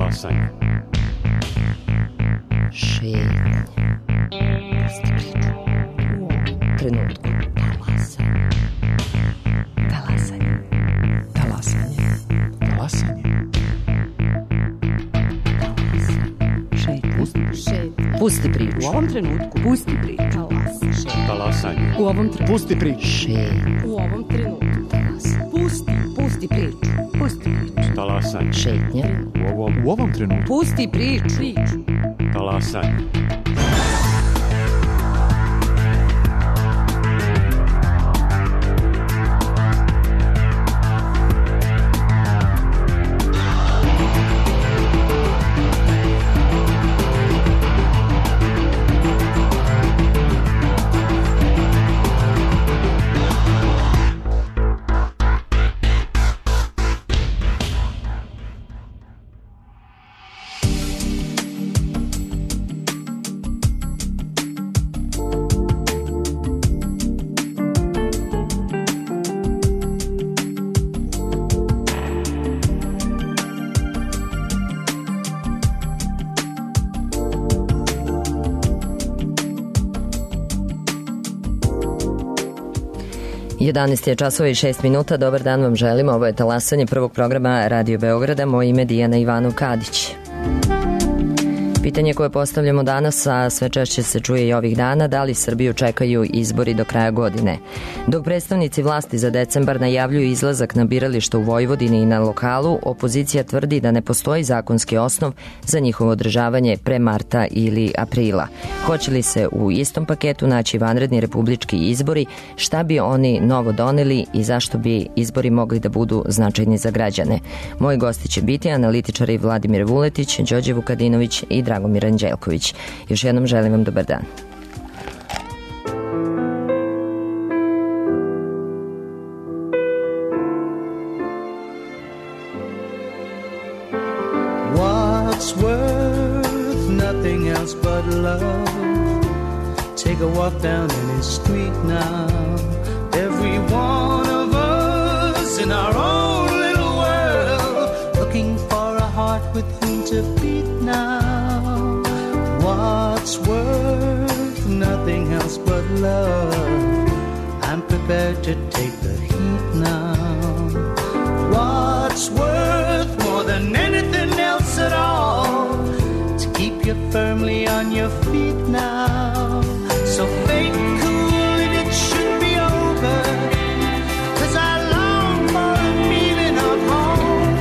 Talasanje. Šetnje. Pusti priču. U ovom trenutku. Talasanje. Talasanje. Talasanje. Pusti priču. U ovom trenutku. Pusti priču. Talasanje. U ovom trenutku. Pusti priču. U ovom trenutku. Pusti priču. Pusti priču. Talasanje. Šetnje. U ovom trenutku. Pusti priču. Talasanje. Jedanaest je časova i 6 minuta. Dobar dan vam želim. Ovo je Talasanje prvog programa Radio Beograda. Moje ime je Dijana Ivanov-Kadić. Pitanje koje postavljamo danas, a sve češće se čuje i ovih dana, da li Srbiju čekaju izbori do kraja godine. Dok predstavnici vlasti za decembar najavljuju izlazak na birališta u Vojvodini i na lokalu, opozicija tvrdi da ne postoji zakonski osnov za njihovo održavanje pre marta ili aprila. Hoće li se u istom paketu naći vanredni republički izbori, šta bi oni novo doneli i zašto bi izbori mogli da budu značajni za građane? Moji gosti će biti analitičari Vladimir Vuletić, Đorđe Vukadinović i Dragomir Anđelković. Još jednom želim vam dobar dan. What's worth nothing else but love? Take a walk down any street now. Every one of us in our own little world, looking for a heart with whom to beat now. What's worth nothing else but love? I'm prepared to take the heat now. What's worth more than anything else at all? To keep you firmly on your feet now. So fake cool and it should be over, 'cause I long for a feeling of home.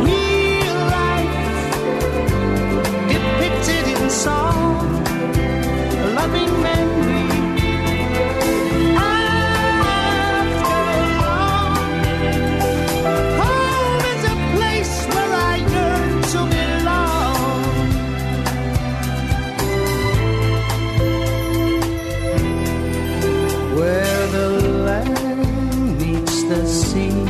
Real life depicted in song, a loving memory. Home is a place where I yearn to belong. Where the land meets the sea,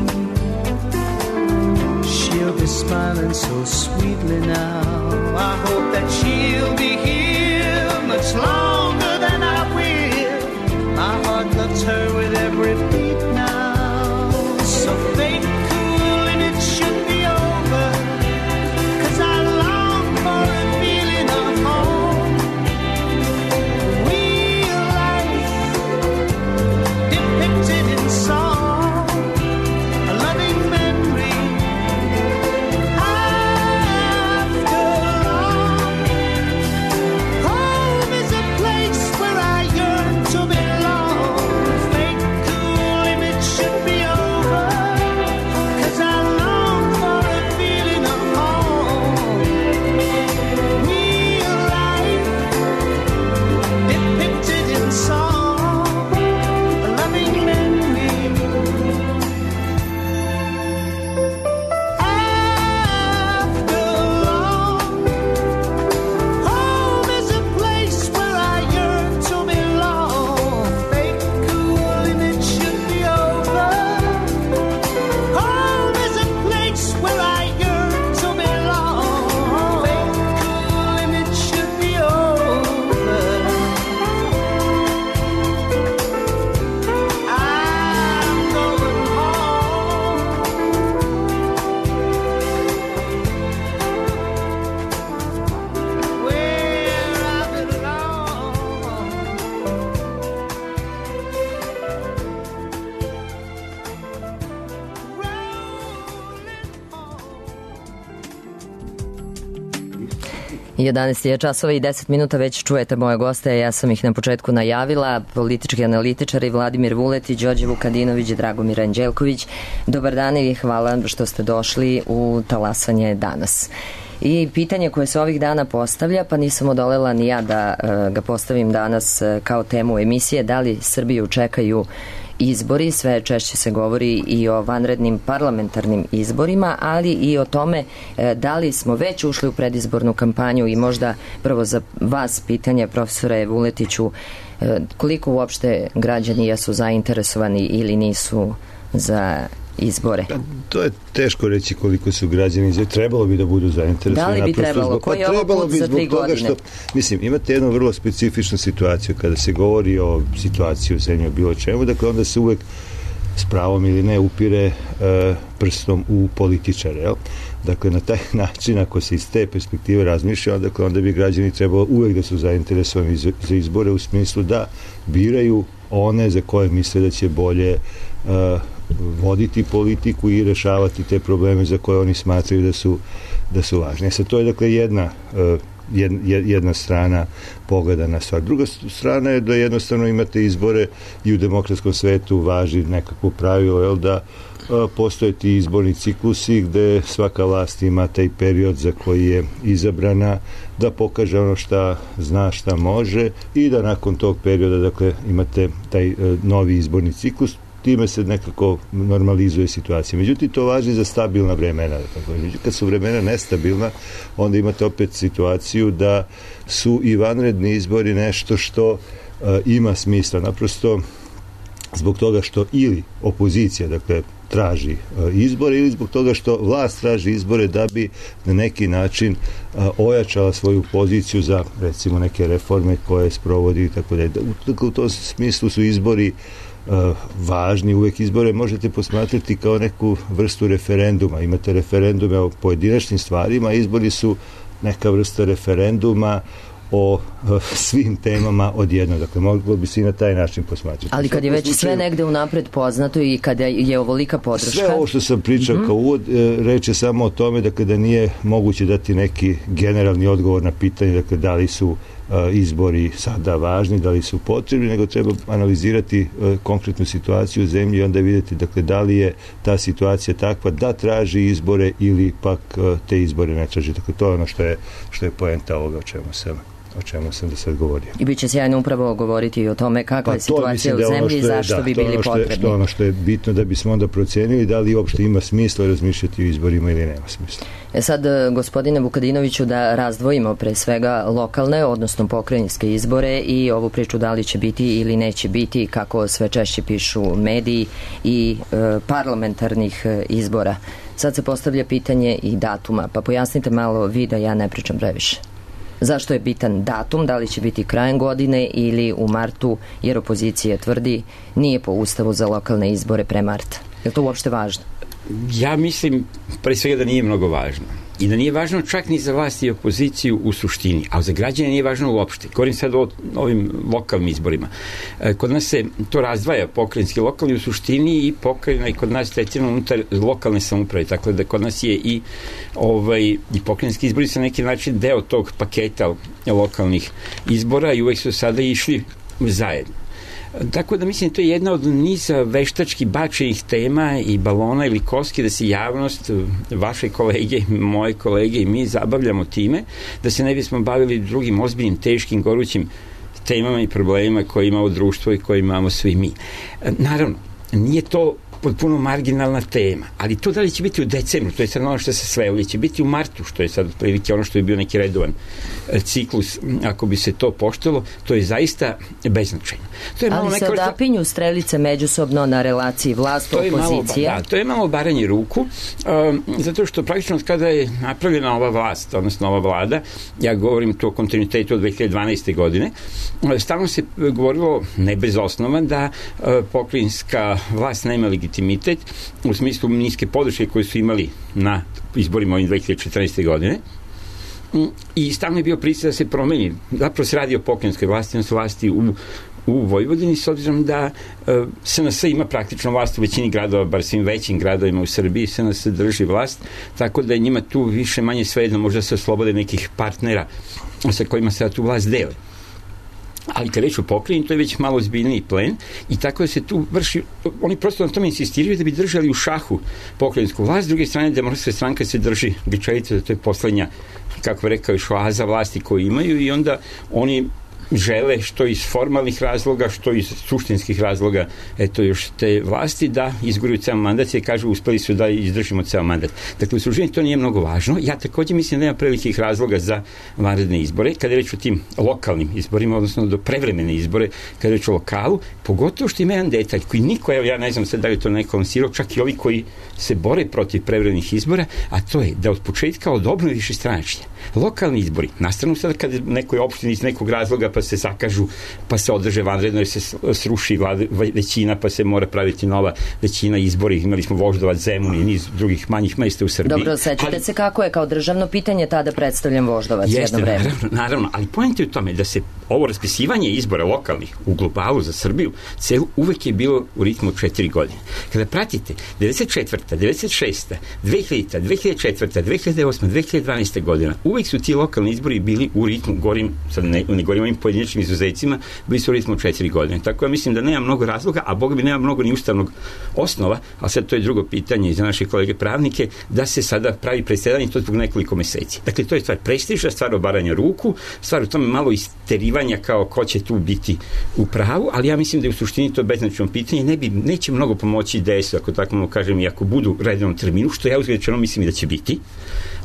she'll be smiling so sweetly now. I hope that she'll be here much longer than I will. My heart loves her with every beat now. So fake cool and it should be over, 'cause I long for a feeling of home. Real life depicted in song, a loving memory. After long, home is a place where I yearn to belong. Fake cool 11 je časova i 10 minuta, već čujete moje goste, ja sam ih na početku najavila, politički analitičari Vladimir Vuletić, Đorđe Vukadinović, Dragomir Anđelković. Dobar dan i hvala što ste došli u Talasanje danas. I pitanje koje se ovih dana postavlja, pa nisam odolela ni ja da ga postavim danas kao temu emisije, da li Srbiju čekaju izbori, sve češće se govori i o vanrednim parlamentarnim izborima, ali i o tome da li smo već ušli u predizbornu kampanju i možda prvo za vas pitanje, profesore Vuletiću, koliko uopšte građani jesu zainteresovani ili nisu za izbore? To je teško reći koliko su građani, trebalo bi da budu zainteresovani. Da li bi trebalo? Koji je ovo put za 3 godine? Mislim, imate jednu vrlo specifičnu situaciju kada se govori o situaciji u zemlji, o bilo čemu, dakle onda se uvek s pravom ili ne upire prstom u političare, jel? Dakle, na taj način, ako se iz te perspektive razmišlja, onda bi građani trebalo uvek da su zainteresovani za izbore u smislu da biraju one za koje misle da će bolje voditi politiku i rešavati te probleme za koje oni smatraju da su važni. Sad, to je dakle jedna strana pogleda na stvar. Druga strana je da jednostavno imate izbore i u demokratskom svetu važi nekakvo pravilo, jel, da postoje ti izborni ciklusi gde svaka vlast ima taj period za koji je izabrana da pokaže ono šta zna, šta može i da nakon tog perioda dakle imate taj novi izborni ciklus. Time se nekako normalizuje situacija. Međutim, to važi za stabilna vremena. Međutim, kad su vremena nestabilna, onda imate opet situaciju da su i vanredni izbori nešto što ima smisla. Naprosto zbog toga što ili opozicija, dakle, traži izbore ili zbog toga što vlast traži izbore da bi na neki način ojačala svoju poziciju za, recimo, neke reforme koje sprovodi i tako dalje. U tom smislu su izbori važni, uvek izbore možete posmatrati kao neku vrstu referenduma. Imate referendume o pojedinačnim stvarima, izbori su neka vrsta referenduma o svim temama odjedno. Dakle, moglo bi se i na taj način posmatrati. Ali kad je već sve negde unapred poznato i kada je ovolika podrška... Sve ovo što sam pričao kao uvod, reče samo o tome da nije moguće dati neki generalni odgovor na pitanje, dakle, da li su izbori sada važni, da li su potrebni, nego treba analizirati konkretnu situaciju u zemlji i onda vidjeti, dakle, da li je ta situacija takva da traži izbore ili pak te izbore ne traži. Dakle, to je ono što je poenta ovoga o čemu sam da sad govorio. I bit će sjajno upravo govoriti i o tome kakva je situacija u zemlji i zašto bi bili potrebni. To je ono što je bitno da bismo onda procenili da li uopšte ima smisla razmišljati o izborima ili nema smisla. Sad, gospodine Vukadinoviću, da razdvojimo pre svega lokalne, odnosno pokrajinske izbore i ovu priču da li će biti ili neće biti, kako sve češće pišu mediji, i parlamentarnih izbora. Sad se postavlja pitanje i datuma, pa pojasnite malo vi da ja ne pričam previše. Zašto je bitan datum, da li će biti krajem godine ili u martu, jer opozicija tvrdi nije po ustavu za lokalne izbore pre marta. Je li to uopšte važno? Ja mislim, pre svega, da nije mnogo važno. I da nije važno čak ni za vlast i opoziciju u suštini, a za građane nije važno uopšte. Govorim sad o ovim lokalnim izborima. Kod nas se to razdvaja, pokrajinski, lokalni u suštini, i pokrajina i kod nas tretirano unutar lokalne samouprave. Tako da kod nas je i pokrajinski izbori sa neki način deo tog paketa lokalnih izbora i uvek su sada išli zajedno. Tako da mislim, to je jedna od niza veštački bačenih tema i balona ili koski da se javnost, vaše kolege, moje kolege i mi zabavljamo time, da se ne bismo bavili drugim ozbiljnim, teškim, gorućim temama i problemima koje ima ovo društvo i koje imamo svi mi. Naravno, nije to potpuno marginalna tema, ali to da li će biti u decembru, to je sad ono što se sve, ili će biti u martu, što je sad otprilike ono što je bio neki redovan ciklus, ako bi se to poštovalo, to je zaista beznačajno. Ali se odapinju strelice međusobno na relaciji vlast-opozicija? To je malo baranje ruku, zato što praktično kada je napravljena ova vlast, odnosno ova vlada, ja govorim to o kontinuitetu od 2012. godine, stalno se govorilo, ne bez osnova, da pokrajinska vlast nema legitimitet u smislu niske podrške koje su imali na izborima ovim 2014. godine. I stalno je bio pritisak da se promeni. Zapravo se radi o pokrajinskoj vlasti, odnosno vlasti u u Vojvodini, s obzirom da SNS ima praktično vlast u većini gradova, bar svim većim gradovima u Srbiji, SNS drži vlast, tako da je njima tu više manje svejedno, možda se oslobode nekih partnera sa kojima se tu vlast dele. Ali kad reč o pokrajini, to je već malo ozbiljniji plen i tako da se tu vrši, oni prosto na tome insistiraju da bi držali u šahu pokrajinsku vlast, s druge strane Demokratska stranka se drži grčevice, da to je poslednja, kako bi rekao, još oaza vlasti koju imaju i onda oni žele što iz formalnih razloga, što iz suštinskih razloga, eto još te vlasti da izguraju ceo mandat i kažu uspeli su da izdržimo ceo mandat. Dakle, u suštini to nije mnogo važno. Ja takođe mislim da nema prevelikih razloga za vanredne izbore, kada je reč o tim lokalnim izborima, odnosno do prevremene izbore, kada je reč o lokalu, pogotovo što ima jedan detalj koji niko, evo ja ne znam sad da li to neko lansirao, čak i ovi koji se bore protiv prevremenih izbora, a to je da od početka od obnove višestranačja lokalni izbori, nastranu sada kada nekoj opštini iz nekog razloga pa se zakažu, pa se održe vanredno jer se sruši većina, pa se mora praviti nova većina izbori. Imali smo Voždovac, Zemun i niz drugih manjih mesta u Srbiji. Dobro, sećate se kako je kao državno pitanje tada predstavljen Voždovac jedno vreme. Naravno, ali poenta je u tome da se ovo raspisivanje izbora lokalnih u globalu za Srbiju celu uvek je bilo u ritmu 4 godine. Kada pratite 94. 96. 2000. 2004. 2008. 2012. godina, uvek su ti lokalni izbori bili u ritmu, sad ne govorim ovim pojedinačnim izuzecima, bili su u ritmu 4 godine. Tako ja mislim da nema mnogo razloga, a Boga mi nema mnogo ni ustavnog osnova, a sad to je drugo pitanje za naše kolege pravnike, da se sada pravi presedanje to zbog nekoliko meseci. Dakle, to je stvar prestiža, stvar obaranja ruku, stvar u tome malo isterivanja kao ko će tu biti u pravu, ali ja mislim da je u suštini to beznačajno pitanje, neće mnogo pomoći DS-u, ako tako mogu kažem, i ako budu u redovnom terminu, što ja uzgledno mislim i da će biti,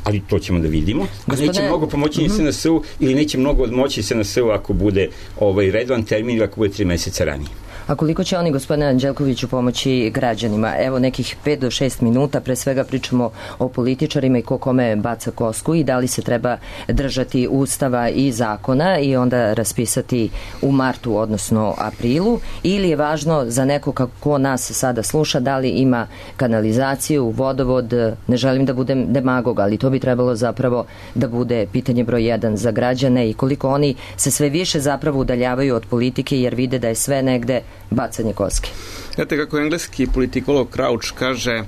ali to ćemo da vidimo. Neće mnogo pomoći ni SNS-u ili neće mnogo odmoći SNS-u ako bude redovan termin ili ako bude 3 meseca ranije. A koliko će oni, gospodine Anđelkoviću, pomoći građanima? Evo nekih 5 do 6 minuta, pre svega pričamo o političarima i ko kome baca kosku i da li se treba držati ustava i zakona i onda raspisati u martu, odnosno aprilu, ili je važno za neko kako nas sada sluša, da li ima kanalizaciju, vodovod, ne želim da budem demagog, ali to bi trebalo zapravo da bude pitanje broj 1 za građane i koliko oni se sve više zapravo udaljavaju od politike jer vide da je sve negde bacanje koske. Znate kako engleski politikolog Crouch kaže,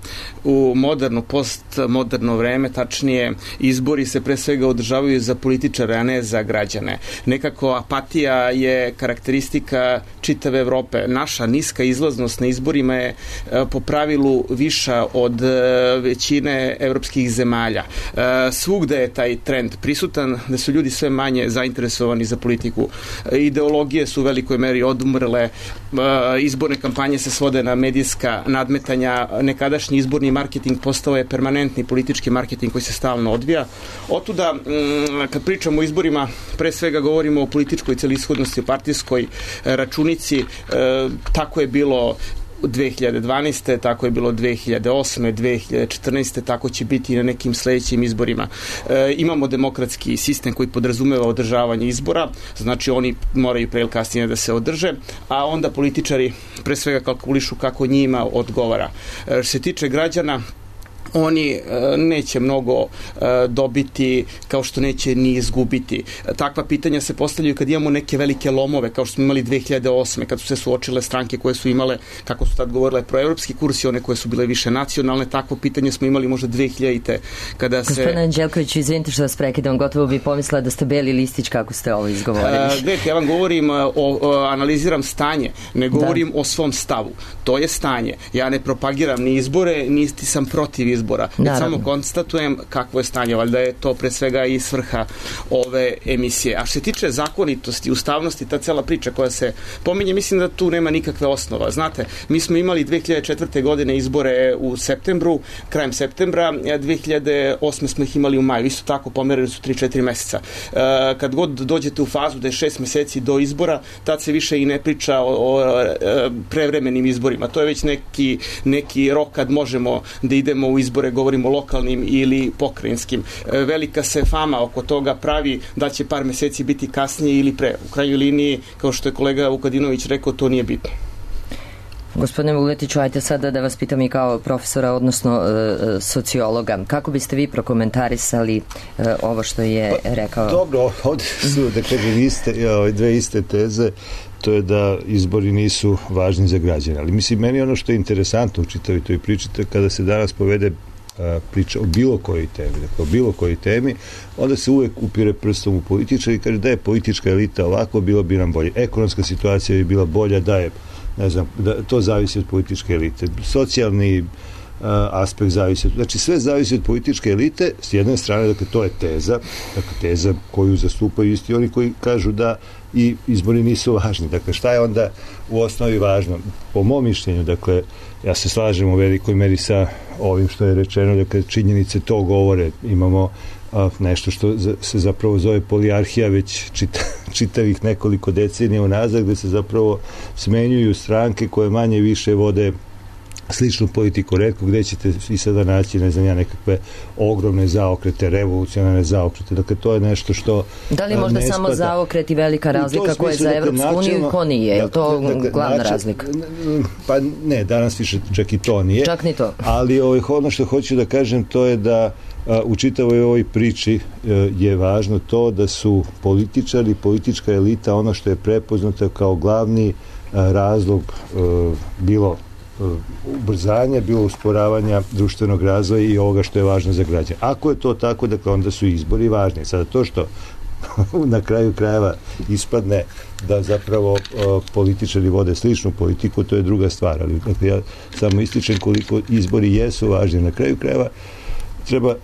u moderno, postmoderno vreme, tačnije, izbori se pre svega održavaju za političare, a ne za građane. Nekako apatija je karakteristika čitave Evrope. Naša niska izlaznost na izborima je po pravilu viša od većine evropskih zemalja. Svugde je taj trend prisutan, da su ljudi sve manje zainteresovani za politiku. Ideologije su u velikoj meri odumrle, izborne kampanje se svode na medijska nadmetanja, nekadašnji izborni marketing postao je permanentni politički marketing koji se stalno odvija. Otuda, kad pričamo o izborima, pre svega govorimo o političkoj celishodnosti, o partijskoj računici, tako je bilo 2012. tako je bilo 2008. 2014. tako će biti i na nekim sledećim izborima. Imamo demokratski sistem koji podrazumeva održavanje izbora, znači oni moraju pre ili kasnije da se održe, a onda političari pre svega kalkulišu kako njima odgovara. Što se tiče građana, oni neće mnogo dobiti kao što neće ni izgubiti. Takva pitanja se postavljaju kad imamo neke velike lomove, kao što smo imali 2008. kad su se suočile stranke koje su imale, kako su tad govorile, proevropski kurs i one koje su bile više nacionalne. Takvo pitanje smo imali možda 2000. kada se... Gospodine Anđelković, izvinite što vas prekidam, gotovo bi pomislila da ste beli listić kako ste ovo izgovorili. Gledajte, ja vam govorim, analiziram stanje, ne govorim o svom stavu. To je stanje. Ja ne propagiram ni izbore, niti sam protiv izbora. Već samo konstatujem kakvo je stanje, valjda je to pre svega i svrha ove emisije. A što se tiče zakonitosti, ustavnosti, ta cela priča koja se pominje, mislim da tu nema nikakve osnova. Znate, mi smo imali 2004. godine izbore u septembru, krajem septembra, 2008. smo ih imali u maju, isto tako pomerili su 3-4 meseca. Kad god dođete u fazu da je 6 meseci do izbora, tad se više i ne priča o prevremenim izborima. To je već neki rok kad možemo da idemo u izbore, govorimo lokalnim ili pokrajinskim. Velika se fama oko toga pravi da će par meseci biti kasnije ili pre. U krajnjoj liniji, kao što je kolega Vukadinović rekao, to nije bitno. Gospodine Vuletiću, ajte sada da vas pitam i kao profesora, odnosno sociologa. Kako biste vi prokomentarisali ovo što je rekao? Dobro, ovde su, da kažem, dve iste teze. to je da izbori nisu važni za građane. Ali mislim, meni ono što je interesantno u čitavi toj priči, kada se danas povede priča o bilo kojoj temi, dakle o bilo kojoj temi, onda se uvek upire prstom u političari i kaže da je politička elita ovako, bilo bi nam bolje. Ekonomska situacija bi bila bolja, da je, ne znam, da to zavisi od političke elite. Socijalni aspekt zavisi, znači sve zavisi od političke elite, s jedne strane, dakle to je teza, dakle teza koju zastupaju isti oni koji kažu da i izbori nisu važni. Dakle, šta je onda u osnovi važno? Po mom mišljenju, dakle, ja se slažem u velikoj meri sa ovim što je rečeno, dakle, činjenice to govore. Imamo nešto što se zapravo zove polijarhija već čitavih nekoliko decenija unazad, gde se zapravo smenjuju stranke koje manje više vode sličnu politiku, retko gde ćete i sada naći, ne znam ja, nekakve ogromne zaokrete, revolucionarne zaokrete. Dakle, to je nešto što da li možda samo zaokret i velika razlika koja je za Evropsku uniju i ko nije? Je li to glavna razlika? Pa ne, danas više čak i to nije. Čak ni to. Ali ono što hoću da kažem, to je da u čitavoj ovoj priči je važno to da su političari, politička elita ono što je prepoznato kao glavni razlog bilo ubrzanja, bilo usporavanja društvenog razvoja i ovoga što je važno za građane. Ako je to tako, dakle, onda su izbori važni. Sada to što na kraju krajeva ispadne da zapravo političari vode sličnu politiku, to je druga stvar. Ali dakle, ja samo ističem koliko izbori jesu važni. Na kraju krajeva treba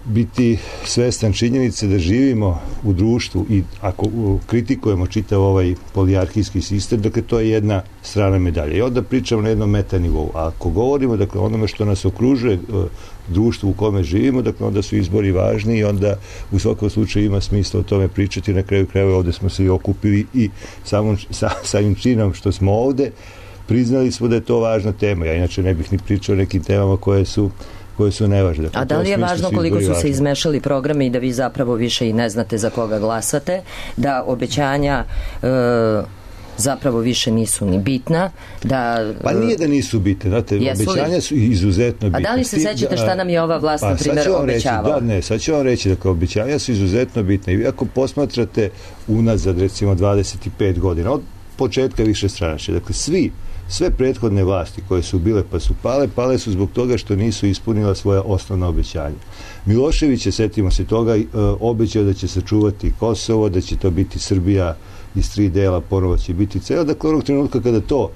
biti svestan činjenice da živimo u društvu i ako kritikujemo čitav ovaj polijarhijski sistem, dakle to je jedna strana medalje. I onda pričamo na jednom metanivou. A ako govorimo, dakle, onome što nas okružuje, društvu u kome živimo, dakle onda su izbori važni i onda u svakom slučaju ima smisla o tome pričati. Na kraju krajeva ovde smo se i okupili i samim činom što smo ovde priznali smo da je to važna tema. Ja inače ne bih ni pričao o nekim temama koje su nevažne. A da li je važno koliko su se izmešali programi i da vi zapravo više i ne znate za koga glasate, da obećanja zapravo više nisu ni bitna, da... Pa nije da nisu bitne, znate, obećanja su izuzetno bitne. A da li se sećate šta nam je ova vlast, na primjer, obećavala? Sad ću vam reći, dakle, obećanja su izuzetno bitne. I ako posmatrate unazad, recimo, 25 godina, od početka višestranačja, dakle, sve prethodne vlasti koje su bile pa su pale su zbog toga što nisu ispunila svoja osnovna obećanja. Milošević je, setimo se toga, obećao da će sačuvati Kosovo, da će to biti Srbija iz 3 dela, ponovo će biti cela. Dakle, onog trenutka kada to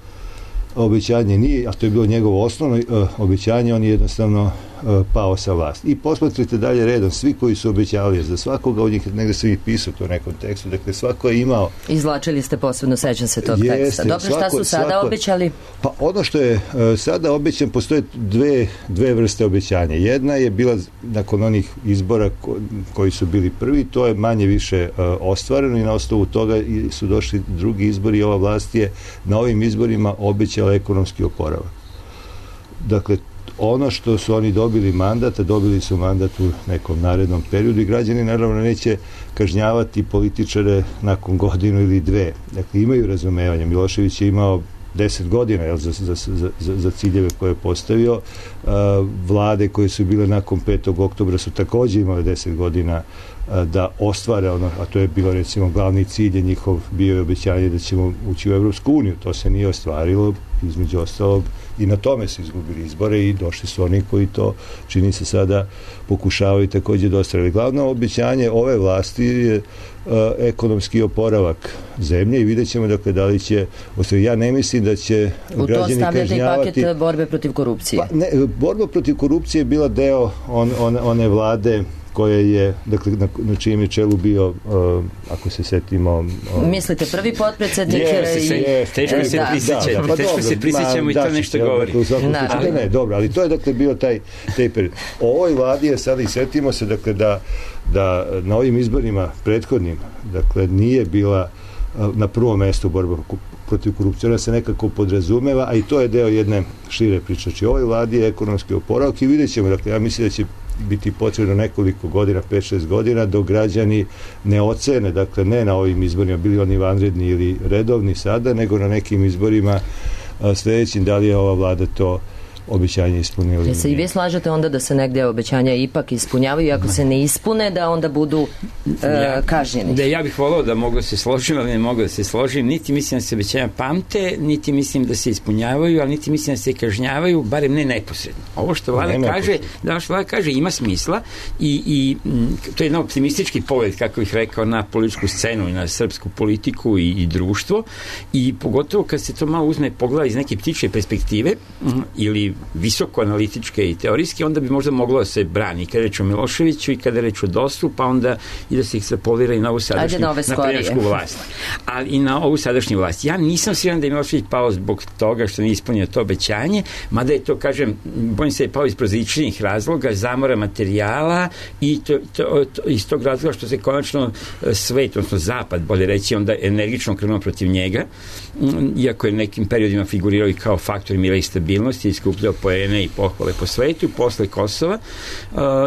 obećanje nije, a to je bilo njegovo osnovno obećanje, on je jednostavno pao sa vlasti. I posmatrite dalje redom, svi koji su obećavali, za svakoga od njih, negde sam ih pisao to u nekom tekstu, dakle svako je imao... Izvlačili ste posebno, sećam se tog teksta. Dobro, šta su sada obećali? Pa ono što je sada obećan, postoje dve vrste obećanja. Jedna je bila nakon onih izbora koji su bili prvi, to je manje više ostvareno i na osnovu toga su došli drugi izbori i ova vlast je na ovim izborima obećala ekonomski oporavak. Dakle, ono što su oni dobili mandat, a dobili su mandat u nekom narednom periodu i građani naravno neće kažnjavati političare nakon godinu ili dve. Dakle, imaju razumevanje. Milošević je imao 10 godina za ciljeve koje je postavio. Vlade koje su bile nakon 5. oktobra su takođe imale 10 godina da ostvare ono, a to je bilo recimo glavni cilj njihov, bio je obećanje da ćemo ući u Evropsku uniju. To se nije ostvarilo, između ostalog i na tome su izgubili izbore i došli su oni koji to, čini se, sada pokušavaju takođe da ostvarili. Glavno obećanje ove vlasti je ekonomski oporavak zemlje i vidjet ćemo dakle da li će ostvariti. Ja ne mislim da će građani kažnjavati... U to stavljate i paket borbe protiv korupcije. Pa, ne, borba protiv korupcije je bila deo one vlade koje je, dakle, na čijem je čelu bio, ako se setimo... Mislite, prvi potpredsednik... Teško se prisjećamo i to nešto govori. Ne, dobro, ali to je, dakle, bio taj period. O ovoj vladi je sada i setimo se, dakle, da na ovim izborima prethodnim, dakle, nije bila na prvom mestu borba protiv korupcije, ona se nekako podrazumeva, a i to je deo jedne šire priče. Znači, ovoj vladi je ekonomski oporavak i vidjet ćemo, dakle, ja mislim da će biti potrebno nekoliko godina, 5-6 godina, dok građani ne ocene, dakle, ne na ovim izborima, bili oni vanredni ili redovni sada, nego na nekim izborima sledećim, da li je ova vlada to obećanja ispunili. Se i vi slažete onda da se negde obećanja ipak ispunjavaju i ako se ne ispune da onda budu kažnjeni? Da, ja bih volao da mogu da se složim, ali ne mogu da se složim. Niti mislim da se obećanja pamte, niti mislim da se ispunjavaju, ali niti mislim da se kažnjavaju, barem ne neposredno. Ovo što Vlada kaže ima smisla i to je jedan optimistički pogled, kako bih rekao, na političku scenu i na srpsku politiku i društvo, i pogotovo kad se to malo uzme pogleda iz neke ptičje perspektive ili visoko analitičke i teorijske, onda bi možda moglo da se brani kada reč o Miloševiću i kada reč o DOS-u, pa onda i da se ih zapolira i na ovu sadašnju naprednjačku vlast. Ali i na ovu sadašnju vlast. Ja nisam siguran da je Milošević pao zbog toga što nije ispunio to obećanje, mada je to, kažem, bojim se je pao iz prozaičnih razloga, zamora materijala i iz tog razloga što se konačno svet, odnosno zapad, bolje reći, onda energično krenuo protiv njega, iako je nekim periodima figurirao i kao faktor mira i stabilnosti, iskupljao poene i pohvale po svetu. Posle Kosova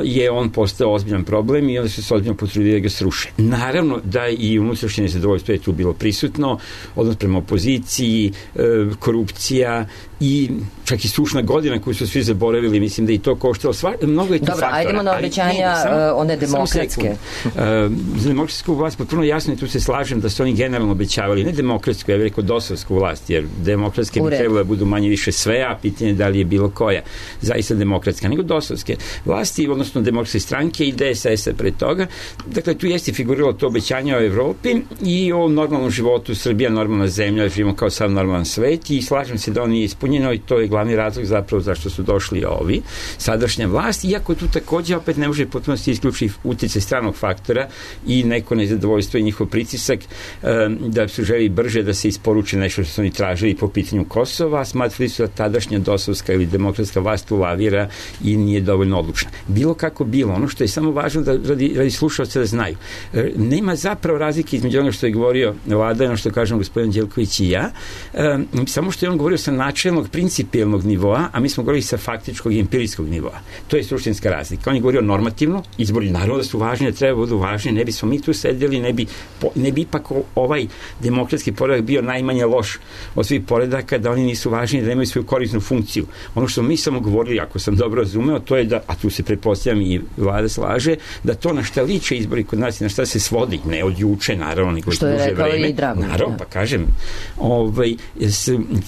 je on postao ozbiljan problem i onda su se ozbiljno potrudili da ga sruše. Naravno da i unutrašnje nezadovoljstvo je tu bilo prisutno, odnos prema opoziciji, korupcija i čak i sušna godina koju su svi zaboravili, mislim da i to koštalo mnogo je tu faktora. Dobro, ajdemo na obećanja one demokratske. Za demokratsku vlast potpuno jasno, i tu se slažem da su oni generalno obećavali, ne demokratsku, ja bih rekao dosovsku vlast, jer demokratske bi trebalo da budu manje više sve, a pitanje da li je bilo koja zaista demokratska, nego dosovske vlasti, odnosno demokratske stranke i DSS-a pre toga. Dakle, tu jeste figuriralo to obećanje o Evropi i o normalnom životu, Srbija normalna zemlja, živimo kao sam normalan svet, i slažem se da on nije ispunjeno, i to je glavni razlog zapravo zašto su došli ovi, sadašnja vlast, iako tu takođe opet ne može potpuno se isključi uticaj stranog faktora i neko nezadovoljstvo i njihov pritisak da su želi brže da se isporuči nešto što su oni tražili po pitanju Kosova, smatrali su da tadašnja dosovska ili demokratska vlast ulavira i nije dovoljno odlučna. Bilo kako bilo, ono što je samo važno da radi slušalca da znaju. Nema zapravo razlike između onoga što je govorio Vlada i ono što kažem gospodin Đelković i ja, samo što je on govorio sa načelnog, principijelnog nivoa, a mi smo govorili sa faktičkog i empirijskog nivoa. To je suštinska razlika. On je govorio normativno, izbori naravno da su važni, da treba budu važni, ne bismo mi tu sedeli, ne bi ipak ovaj demokratski poredak bio najmanje loš od svih poredaka, da oni nisu važni, da nemaju svoju korisnu funkciju. Ono što mi samo govorili, ako sam dobro razumeo, to je da, a tu se pretpostavljam i Vlada slaže, da to na šta liče izbori kod nas i na šta se svodi, ne od juče, naravno, nego što duže vreme. Naravno, pa kažem,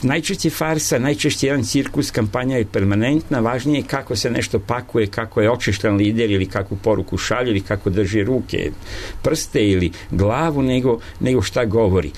najčešće farsa, najčešće jedan cirkus, kampanja je permanentna, važnije je kako se nešto pakuje, kako je očeštan lider ili kakvu poruku šalje ili kako drži ruke, prste ili glavu, nego šta govori.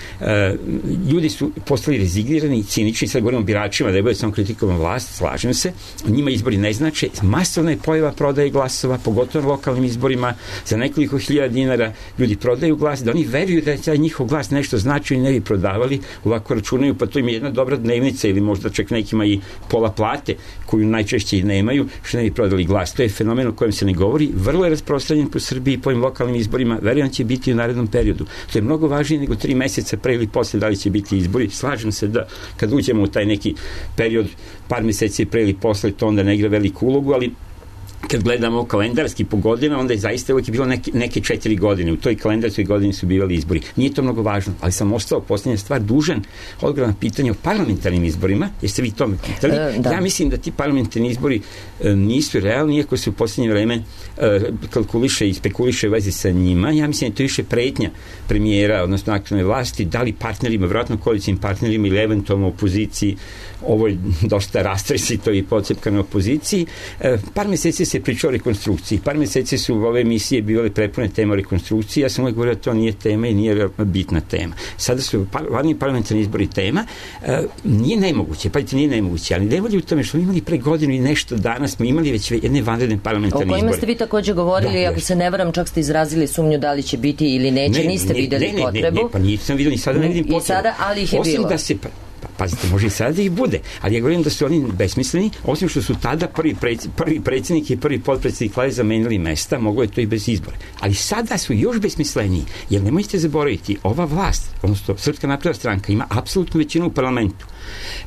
Ljudi su postali rezignirani i cinični, sad govorimo o biračima, da je bude samo kritikovan vlast, slažem se, njima izbori ne znače, masovna je pojava prodaje glasova, pogotovo na lokalnim izborima, za nekoliko hiljada dinara ljudi prodaju glas, da oni veruju da je taj njihov glas nešto znači i ne bi prodavali, ovako računaju, pa to im je jedna dobra dnevnica ili možda čak nekima i pola plate koju najčešće i nemaju, što ne bi prodali glas. To je fenomen o kojem se ne govori, vrlo je rasprostranjen po Srbiji, po ovim lokalnim izborima, verujem će biti u narednom periodu. To je mnogo važnije nego 3 meseca pre ili posle da li će biti izbori. Slažem se da kad uđemo u taj neki period par meseci pre ili posle, to onda ne igra veliku ulogu, ali kad gledamo kalendarski po godina, onda je zaista uvijek bilo neke 4 godine. U toj kalendarskoj godini su bivali izbori. Nije to mnogo važno, ali sam ostao posljednja stvar dužan odgovor na pitanje o parlamentarnim izborima. Jeste vi to me pitali? Ja mislim da ti parlamentarni izbori nisu realni, iako se u posljednje vreme kalkuliše i spekuliše u vezi sa njima. Ja mislim da je to više pretnja premijera, odnosno aktualne vlasti, da li partnerima, vjerojatno koalicijnim partnerima ili eventualno opoziciji, ovo je dosta rastresito i pocepkano opoziciji. Par meseci se pričao o rekonstrukciji. Par meseci su ove emisije bile prepune tema o rekonstrukciji. Ja sam uvijek govorio da to nije tema i nije bitna tema. Sada su vladni parlamentarni izbori tema. Nije nemoguće, pazite, nije nemoguće, ali ne volji u tome što smo imali pre godinu i nešto dana, smo imali već jedne vanredne parlamentarne izbore. O kojima ste vi također govorili, ako se ne varam, čak ste izrazili sumnju da li će biti ili neće, niste vidjeli potrebu. Pa nisam vidio, ni sada ne vidim potrebu. I sada, ali ih je bilo. Osim da se pazite, može i sada da ih bude, ali ja govorim da su oni besmisleni, osim što su tada prvi predsjednik i prvi potpredsjednik Vlade zamenili mesta, mogo je to i bez izbora. Ali sada su još besmisleniji, jer nemojte zaboraviti, ova vlast, odnosno Srpska napredna stranka, ima apsolutnu većinu u parlamentu.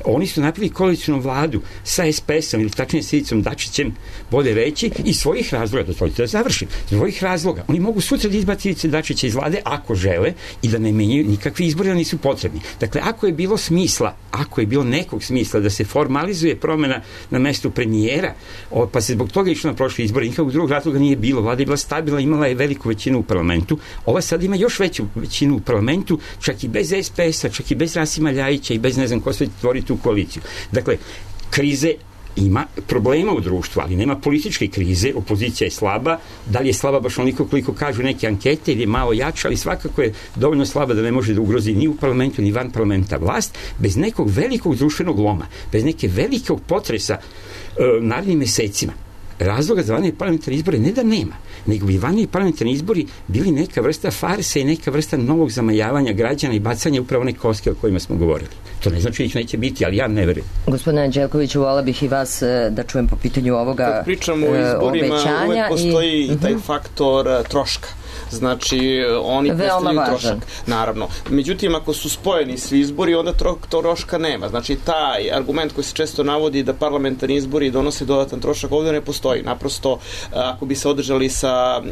Oni su napravili koalicijnu vladu sa SPS-om ili tačnije sa Ivicom Dačićem, bolje reći, i svojih razloga, dozvolite da završim, svojih razloga. Oni mogu sutra da izbaci Ivice Dačića iz vlade ako žele i da ne menjaju nikakvi izbori, da nisu potrebni. Dakle, ako je bilo smisla, ako je bilo nekog smisla da se formalizuje promena na mestu premijera, pa se zbog toga išlo na prošli izbori, nikakvog drugog razloga nije bilo. Vlada je bila stabilna, imala je veliku većinu u parlamentu. Ova sad ima još veću većinu u parlamentu, čak i bez SPS-a, čak i bez Rasima Ljajića i bez ne znam ko sve tvori tu koaliciju. Dakle, krize ima problema u društvu, ali nema političke krize, opozicija je slaba, da li je slaba baš onoliko koliko kažu neke ankete ili je malo jača, ali svakako je dovoljno slaba da ne može da ugrozi ni u parlamentu ni van parlamenta vlast, bez nekog velikog društvenog loma, bez neke velikog potresa narednim mesecima. Razloga za vanredne parlamentarne izbore ne da nema, nego bi vanredni parlamentarni izbori bili neka vrsta farse i neka vrsta novog zamajavanja građana i bacanja upravo one koske o kojima smo govorili. To ne znači da ih neće biti, ali ja ne verujem. Gospodine Anđelkoviću, vola bih i vas da čujem po pitanju ovoga obećanja. Kad pričamo o izborima, uvek postoji taj faktor troška. Znači, oni predstavljaju trošak, naravno. Međutim, ako su spojeni svi izbori, onda troška nema. Znači, taj argument koji se često navodi da parlamentarni izbori donose dodatan trošak, ovdje ne postoji. Naprosto, ako bi se održali sa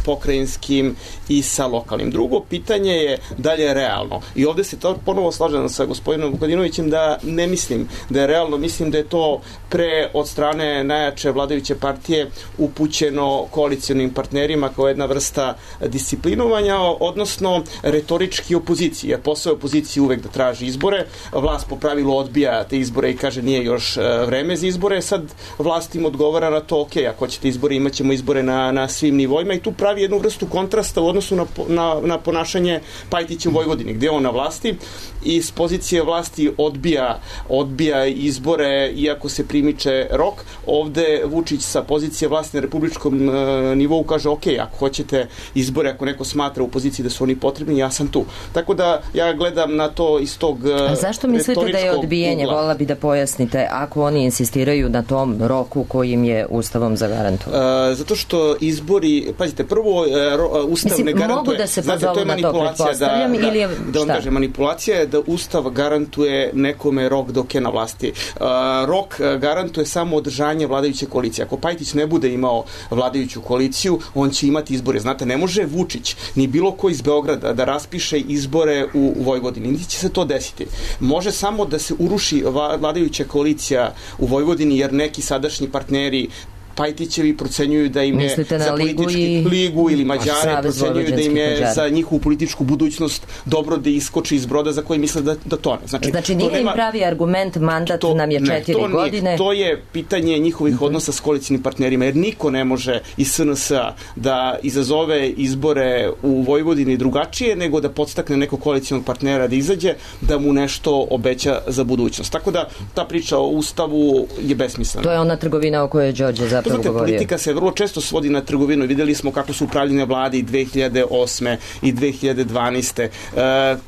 pokrajinskim i sa lokalnim. Drugo pitanje je da li je realno. I ovdje se to ponovo slažem sa gospodinom Vukadinovićem da ne mislim da je realno, mislim da je to pre od strane najjače vladajuće partije upućeno koalicionim partnerima kao jedna vrsta disciplinovanja, odnosno retorički opozicije. Jer posao opozicije uvek da traži izbore, vlast po pravilu odbija te izbore i kaže nije još vreme za izbore, sad vlast im odgovara na to, ok, ako ćete izbore, imat ćemo izbore na svim nivoima i tu pravi jednu vrstu kontrasta u odnosu na ponašanje Pajtića u Vojvodini, gdje je on na vlasti i s pozicije vlasti odbija izbore iako se primiče rok. Ovde Vučić sa pozicije vlasti na republičkom nivou kaže, ok, ako hoćete izbore, ako neko smatra u poziciji da su oni potrebni, ja sam tu. Tako da ja gledam na to iz tog A zašto mislite da je odbijanje, volila bi da pojasnite, ako oni insistiraju na tom roku koji im je Ustavom zagarantovan? Zato što izbori, pazite, prvo Ustav ne garantuje. Mogu da se pozovu na to, pretpostavljam, ili je da on kaže, manipulacija je da Ustav garantuje nekome rok dok je na vlasti. Rok garantuje samo održanje vladajuće koalicije. Ako Pajtić ne bude imao vladajuću koaliciju, on će imati izbore. Znate, ne može Vučić, ni bilo ko iz Beograda da raspiše izbore u Vojvodini. Niti će se to desiti. Može samo da se uruši vladajuća koalicija u Vojvodini, jer neki sadašnji partneri Pajtićevi procenjuju da im je za ligu ili Mađare procenjuju da im je za njihovu političku budućnost dobro da iskoči iz broda za koji misle da tone. Znači nije im pravi argument, mandat nam je 4 godine. To je pitanje njihovih odnosa s koalicijnim partnerima, jer niko ne može iz SNS-a da izazove izbore u Vojvodini drugačije, nego da podstakne nekog koalicijalnog partnera da izađe, da mu nešto obeća za budućnost. Tako da ta priča o Ustavu je besmislena. To je ona trgovina o kojoj je Đorđe zapravo govorio. Politika se vrlo često svodi na trgovinu. Videli smo kako su upravljene vlade i 2008. i 2012.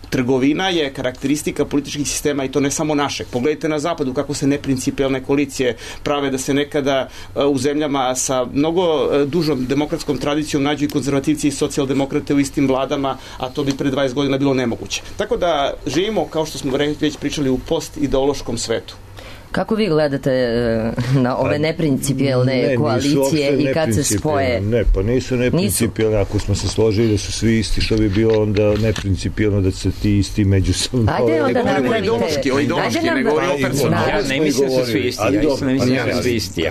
Trgovina je karakteristika političkih sistema i to ne samo našeg. Pogledajte na zapadu kako se neprincipijalne koalicije prave, da se nekada u zemljama sa mnogo dužom demokratskom tradicijom nađu i konzervativci i socijaldemokrate u istim vladama, a to bi pre 20 godina bilo nemoguće. Tako da živimo, kao što smo već pričali, u post-ideološkom svetu. Kako vi gledate na ove neprincipijelne koalicije i kad se spoje? Pa nisu neprincipijelne. Ako smo se složili da su svi isti, što bi bilo onda neprincipijelno da se ti isti međusobno... Ajde onda napravite... Ja ne mislim da su svi isti. Ja ne mislim da su svi isti.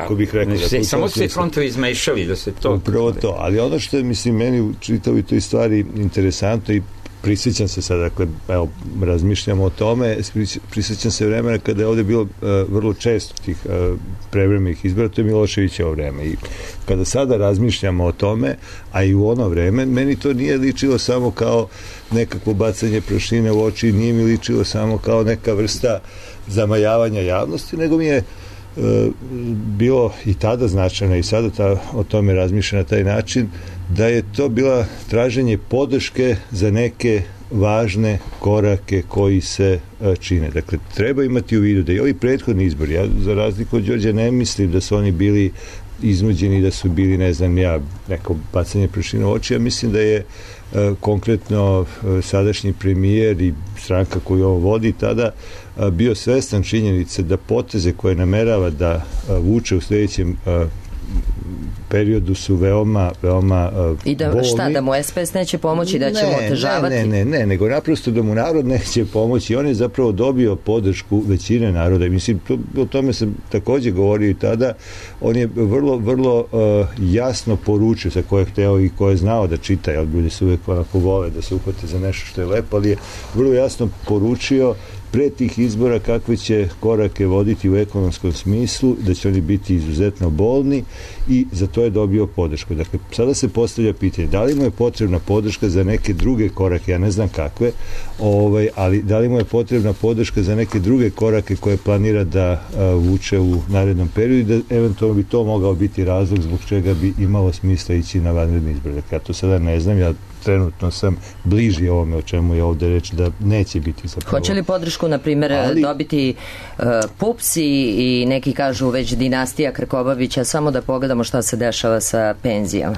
Samo se frontovi izmešali da se to... Upravo to. Ali ono što je, mislim, meni u čitavi toj stvari interesantno i prisjećam se sad, dakle, evo, razmišljamo o tome, prisjećam se vremena kada je ovdje bilo vrlo često tih prevremenih izbora, to je Miloševićevo vreme. I kada sada razmišljamo o tome, a i u ono vreme, meni to nije ličilo samo kao nekakvo bacanje prašine u oči, nije mi ličilo samo kao neka vrsta zamajavanja javnosti, nego mi je bilo i tada značajno i sada o tome razmišlja na taj način, da je to bila traženje podrške za neke važne korake koji se čine. Dakle, treba imati u vidu da i ovi prethodni izbori, ja za razliku od Đorđa ne mislim da su oni bili iznuđeni, da su bili, ne znam ja, neko bacanje prašine u oči. Ja mislim da je konkretno sadašnji premijer i stranka koju ovo vodi tada bio svestan činjenice da poteze koje namerava da vuče u sljedećem periodu su veoma i da bolni. Šta, da mu SPS neće pomoći, da će mu otežavati? Ne, nego naprosto da mu narod neće pomoći. On je zapravo dobio podršku većine naroda. Mislim, o tome sam također govorio i tada. On je vrlo jasno poručio sa koje je hteo i koje je znao da čita, jer ljudi su uvijek onako vole da se uhvate za nešto što je lepo, ali je vrlo jasno poručio pre tih izbora kakve će korake voditi u ekonomskom smislu, da će oni biti izuzetno bolni i za to je dobio podršku. Dakle, sada se postavlja pitanje, da li mu je potrebna podrška za neke druge korake, ja ne znam kakve, ali da li mu je potrebna podrška za neke druge korake koje planira da vuče u narednom periodu i da eventualno bi to mogao biti razlog zbog čega bi imalo smisla ići na vanredni izbor. Dakle, ja to sada ne znam, ja trenutno sam bliži ovome o čemu je ovde reč da neće biti zapravo. Hoće li podršku, na primjer, dobiti PUPS i neki kažu već dinastija Krkobabića, samo da pogledamo šta se dešava sa penzijama?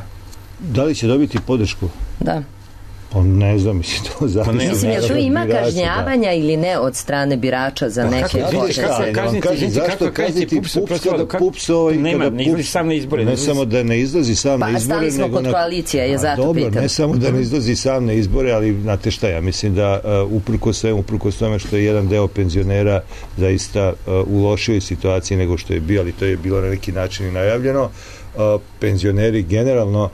Da li će dobiti podršku? Da. Pa ne znam, mislim, to zato. Mislim, jel tu ima kažnjavanja ili ne od strane birača za neke poteze? Zašto kazniti PUPS kada PUPS ne samo da ne izlazi sam na izbore, stali smo kod koalicija, je zato pitan. Dobro, ne samo da ne izlazi sam na izbore, ali znate šta, ja mislim da uprkos tome što je jedan deo penzionera zaista u lošoj situaciji nego što je bio, ali to je bilo na neki način i najavljeno, penzioneri generalno,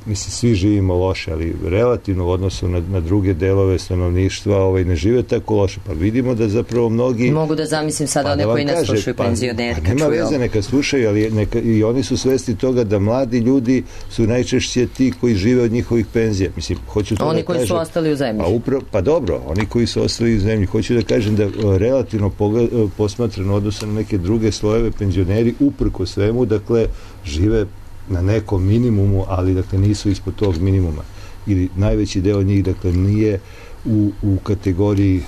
mislim, svi živimo loše, ali relativno u odnosu na druge delove stanovništva ne žive tako loše. Pa vidimo da zapravo mnogi... Mogu da zamislim sada one koji ne slušaju penzioneri. Nema veze, neka slušaju, ali i oni su svesni toga da mladi ljudi su najčešće ti koji žive od njihovih penzija. Mislim, hoću to oni da koji kažem, su ostali u zemlji. Pa dobro, oni koji su ostali u zemlji. Hoću da kažem da relativno posmatrano odnosno na neke druge slojeve penzioneri uprko svemu, dakle, žive na nekom minimumu, ali dakle nisu ispod tog minimuma. Ili najveći deo njih dakle nije u kategoriji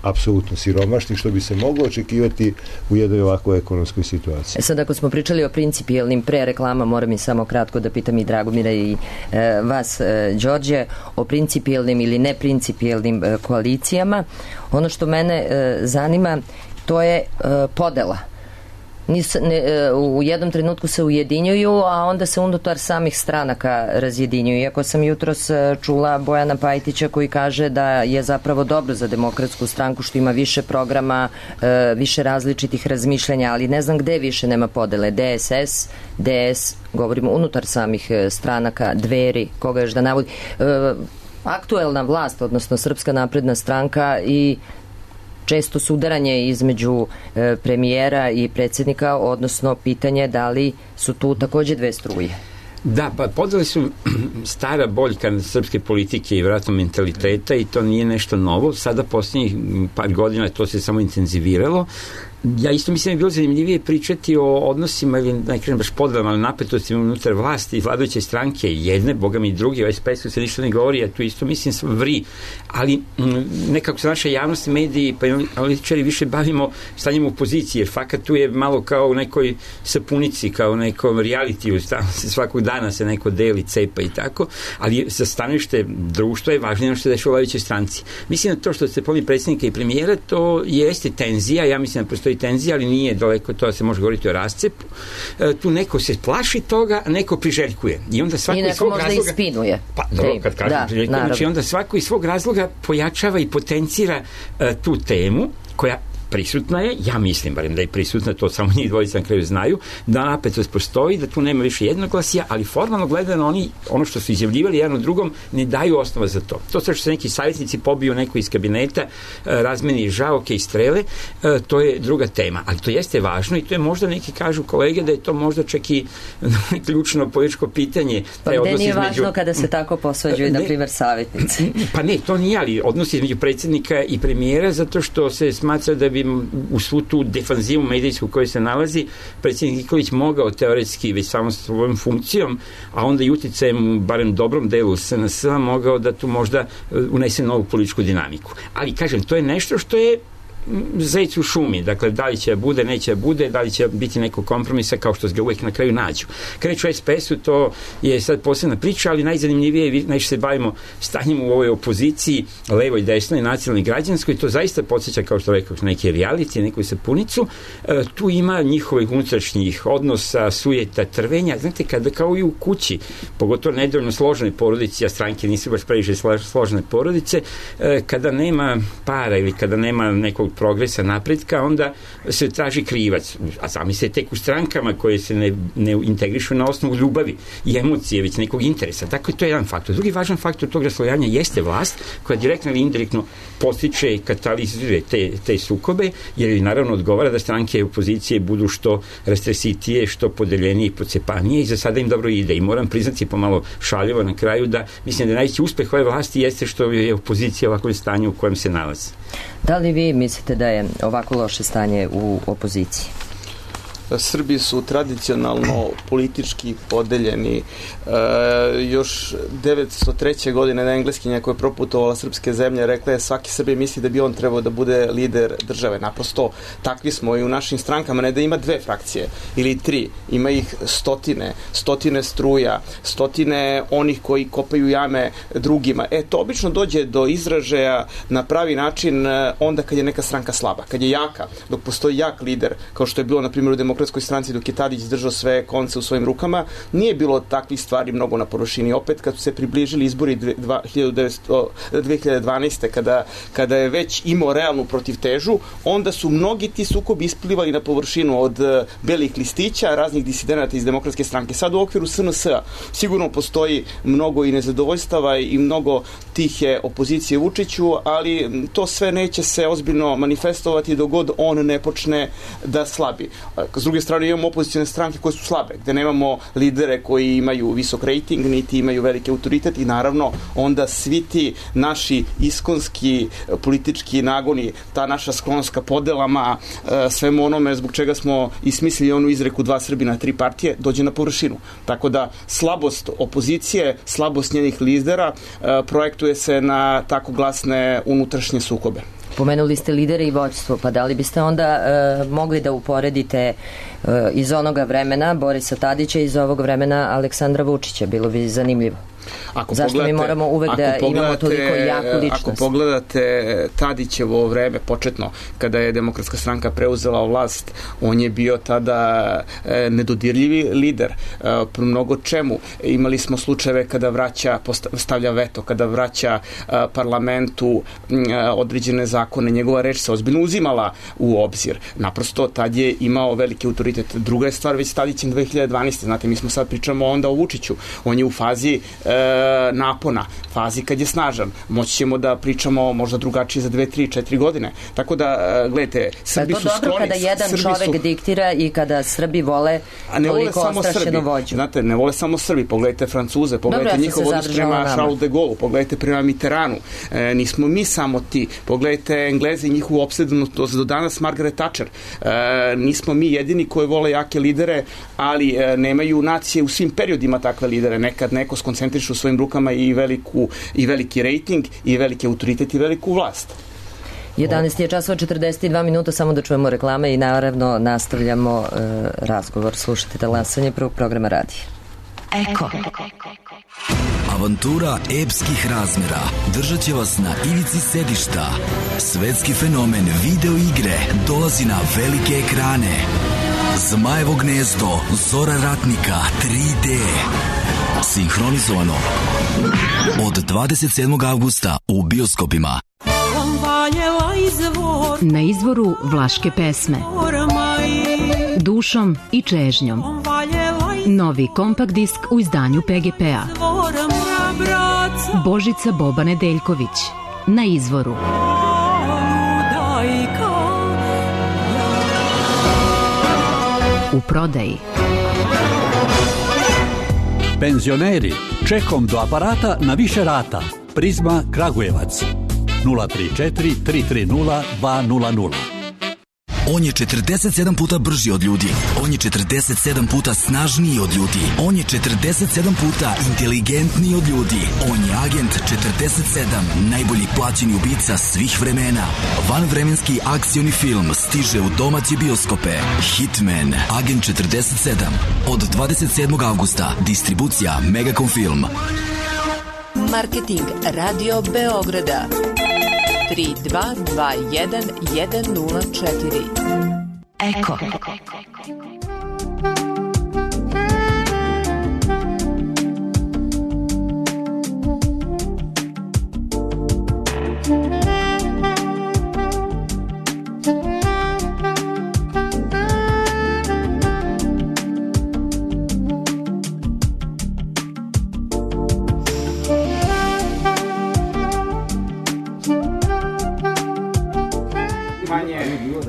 apsolutno siromašnih, što bi se moglo očekivati u jednoj ovakvoj ekonomskoj situaciji. Sad, ako smo pričali o principijelnim pre reklama, moram i samo kratko da pitam i Dragomira i vas, Đorđe, o principijelnim ili neprincipijelnim koalicijama. Ono što mene zanima, to je podela. U jednom trenutku se ujedinjuju, a onda se unutar samih stranaka razjedinjuju. Iako sam jutros čula Bojana Pajtića koji kaže da je zapravo dobro za Demokratsku stranku što ima više programa, više različitih razmišljanja, ali ne znam gde više nema podele. DSS, DS, govorimo unutar samih stranaka, Dveri, koga još da navodi. Aktuelna vlast, odnosno Srpska napredna stranka i često sudaranje između premijera i predsjednika, odnosno pitanje da li su tu također dve struje. Da, pa podele su stara boljka srpske politike i vjerojatno mentaliteta i to nije nešto novo. Sada posljednjih par godina to se samo intenziviralo. Ja isto mislim da je bilo zanimljivije pričati o odnosima ili ne kažem baš podelama, ali napetostima unutar vlasti i vladajuće stranke jedne, boga mi drugi, o SPS-u se ništa ne govori, ja tu isto mislim vri, ali nekako se naša javnost, mediji pa analitičari više bavimo stanjem opozicije, jer fakat tu je malo kao u nekoj sapunici, kao u nekom realitiju, svakog dana se neko deli, cepa i tako, ali za stanovište društva je važnije što se dešava u vladajućoj stranci. Mislim da to što ste pomni predsjednika i premijera, to jeste tenzija, ja mislim da postoji tenzija, ali nije daleko to da se može govoriti o rascepu. Tu neko se plaši toga, a neko priželjkuje. I onda svako iz svog razloga... I neko možda ispinuje. Pa, dobro, kad kažem priželjkuje, znači onda svako iz svog razloga pojačava i potencira tu temu, koja prisutna je, ja mislim barem da je prisutna, to samo njih dvojica na kraju znaju, da napetost postoji, da tu nema više jednoglasija, ali formalno gledano oni, ono što su izjavljivali jedan od drugom, ne daju osnova za to. To što se neki savjetnici pobiju neko iz kabineta, razmeni žaoke i strele, to je druga tema, ali to jeste važno i to je možda neki kažu kolege da je to možda čak i ključno političko pitanje. Pa gde nije važno kada se tako posvađuju, na primjer, savjetnici? Pa ne, to nije, ali odnos između predsjednika i premijera, zato što se smatra da bi u svu tu defanzivu medijsku u kojoj se nalazi predsjednik Nikolić mogao teoretski već samo svojom funkcijom, a onda i uticajem barem dobrom delu SNS mogao da tu možda unese novu političku dinamiku. Ali kažem, to je nešto što je zec u šumi, dakle, da li će bude, neće bude, da li će biti neko kompromisa kao što se ga uvijek na kraju nađu. Kad reč o SPS-u, to je sad posebna priča, ali najzanimljivije, najviše se bavimo stanjem u ovoj opoziciji, levoj, desnoj, nacionalnoj, građanskoj, to zaista podsjeća, kao što rekao, neki reality, neku sapunicu. Tu ima njihovih unutrašnjih odnosa, sujeta, trvenja. Znate, kada kao i u kući, pogotovo nedovoljno složene porodice, a stranke nisu baš previše složene porodice, kada nema para ili kada nema nekog progresa, napretka, onda se traži krivac. A zamislite tek u strankama koje se ne integrišu na osnovu ljubavi i emocije, već nekog interesa. Tako je to jedan faktor. Drugi važan faktor tog raslojanja jeste vlast, koja direktno ili indirektno postiče i katalizuje te sukobe, jer je naravno odgovara da stranke opozicije budu što rastresitije, što podeljenije i pocepanije, i za sada im dobro ide. I moram priznati pomalo šaljivo na kraju da mislim da najveći uspeh ove vlasti jeste što je opozicija ovako stanje u kojem se nalazi. Da li vi mislite da je ovako loše stanje u opoziciji? Srbi su tradicionalno politički podeljeni. Još 903. godine na engleskinja koja je proputovala srpske zemlje rekla je svaki Srbi misli da bi on trebao da bude lider države. Naprosto takvi smo i u našim strankama, ne da ima 2 frakcije ili 3, ima ih stotine struja, stotine onih koji kopaju jame drugima. To obično dođe do izražaja na pravi način onda kad je neka stranka slaba, kad je jaka, dok postoji jak lider, kao što je bilo na primjer u Demokratskoj stranci dok je Tadić držao sve konce u svojim rukama, nije bilo takvih stvari mnogo na površini. Opet kad su se približili izbori 2012. kada je već imao realnu protivtežu, onda su mnogi ti sukobi isplivali na površinu od belih listića, raznih disidenata iz Demokratske stranke. Sad u okviru SNS-a sigurno postoji mnogo i nezadovoljstava i mnogo tihe opozicije Vučiću, ali to sve neće se ozbiljno manifestovati dok god on ne počne da slabi. S druge strane imamo opozicijne stranke koje su slabe, gde nemamo lidere koji imaju visok rejting, niti imaju veliki autoritet, i naravno onda svi ti naši iskonski politički nagoni, ta naša sklonost podelama, svemu onome zbog čega smo ismislili onu izreku 2 Srbina, 3 partije, dođe na površinu. Tako da slabost opozicije, slabost njenih lidera projektuje se na tako glasne unutrašnje sukobe. Pomenuli ste lidere i vođstvo, pa da li biste onda mogli da uporedite iz onoga vremena Borisa Tadića i iz ovog vremena Aleksandra Vučića? Bilo bi zanimljivo. Zašto mi moramo uvek da imamo toliko jaku ličnost? Ako pogledate Tadićevo vreme početno, kada je Demokratska stranka preuzela vlast, on je bio tada nedodirljivi lider. Mnogo čemu. Imali smo slučajeve kada stavlja veto, kada vraća parlamentu određene zakone, njegova reč se ozbiljno uzimala u obzir. Naprosto, tad je imao veliki autoritet. Druga je stvar već s Tadićem 2012. Znate, mi smo sad pričamo onda o Vučiću. On je u fazi napona, fazi kad je snažan. Moći ćemo da pričamo možda drugačije za 2, 3, 4 godine. Tako da, gledajte, Srbi su skloni. To dobro kada jedan čovek diktira i kada Srbi vole toliko ostrašćeno vođu. Znate, ne vole samo Srbi. Pogledajte Francuze, pogledajte njihov odnos prema Charles de Gaulle, pogledajte prema Mitterrandu. Nismo mi samo ti. Pogledajte Englezi i njihovu opsednutost do danas Margaret Thatcher. Nismo mi jedini koji vole jake lidere, ali nemaju nacije u svim periodima takve lidere. Nekad neko skoncentriše u svojim rukama i veliki rejting, i veliki autoritet, i veliku vlast. 11 je časova 42 minuta, samo da čujemo reklame i naravno nastavljamo razgovor. Slušajte Talasanje prvog programa radija. Eko. Avantura epskih razmera držat će vas na ivici sedišta. Svetski fenomen video igre dolazi na velike ekrane. Zmajevo gnezdo Zora ratnika 3D. Sinhronizovano od 27. avgusta u bioskopima. Na izvoru vlaške pesme Dušom i čežnjom. Novi kompakt disk u izdanju PGP-a. Božica Boba Nedeljković. Na izvoru. U prodaji. Penzioneri, čekom do aparata na više rata. Prizma Kragujevac 034 330 200. On je 47 puta brži od ljudi. On je 47 puta snažniji od ljudi. On je 47 puta inteligentniji od ljudi. On je agent 47, najbolji plaćeni ubica svih vremena. Vanvremenski akcioni film stiže u domaće bioskope. Hitman, agent 47. Od 27. avgusta. Distribucija Megacom Film. Marketing Radio Beograda 3221 104. Eko.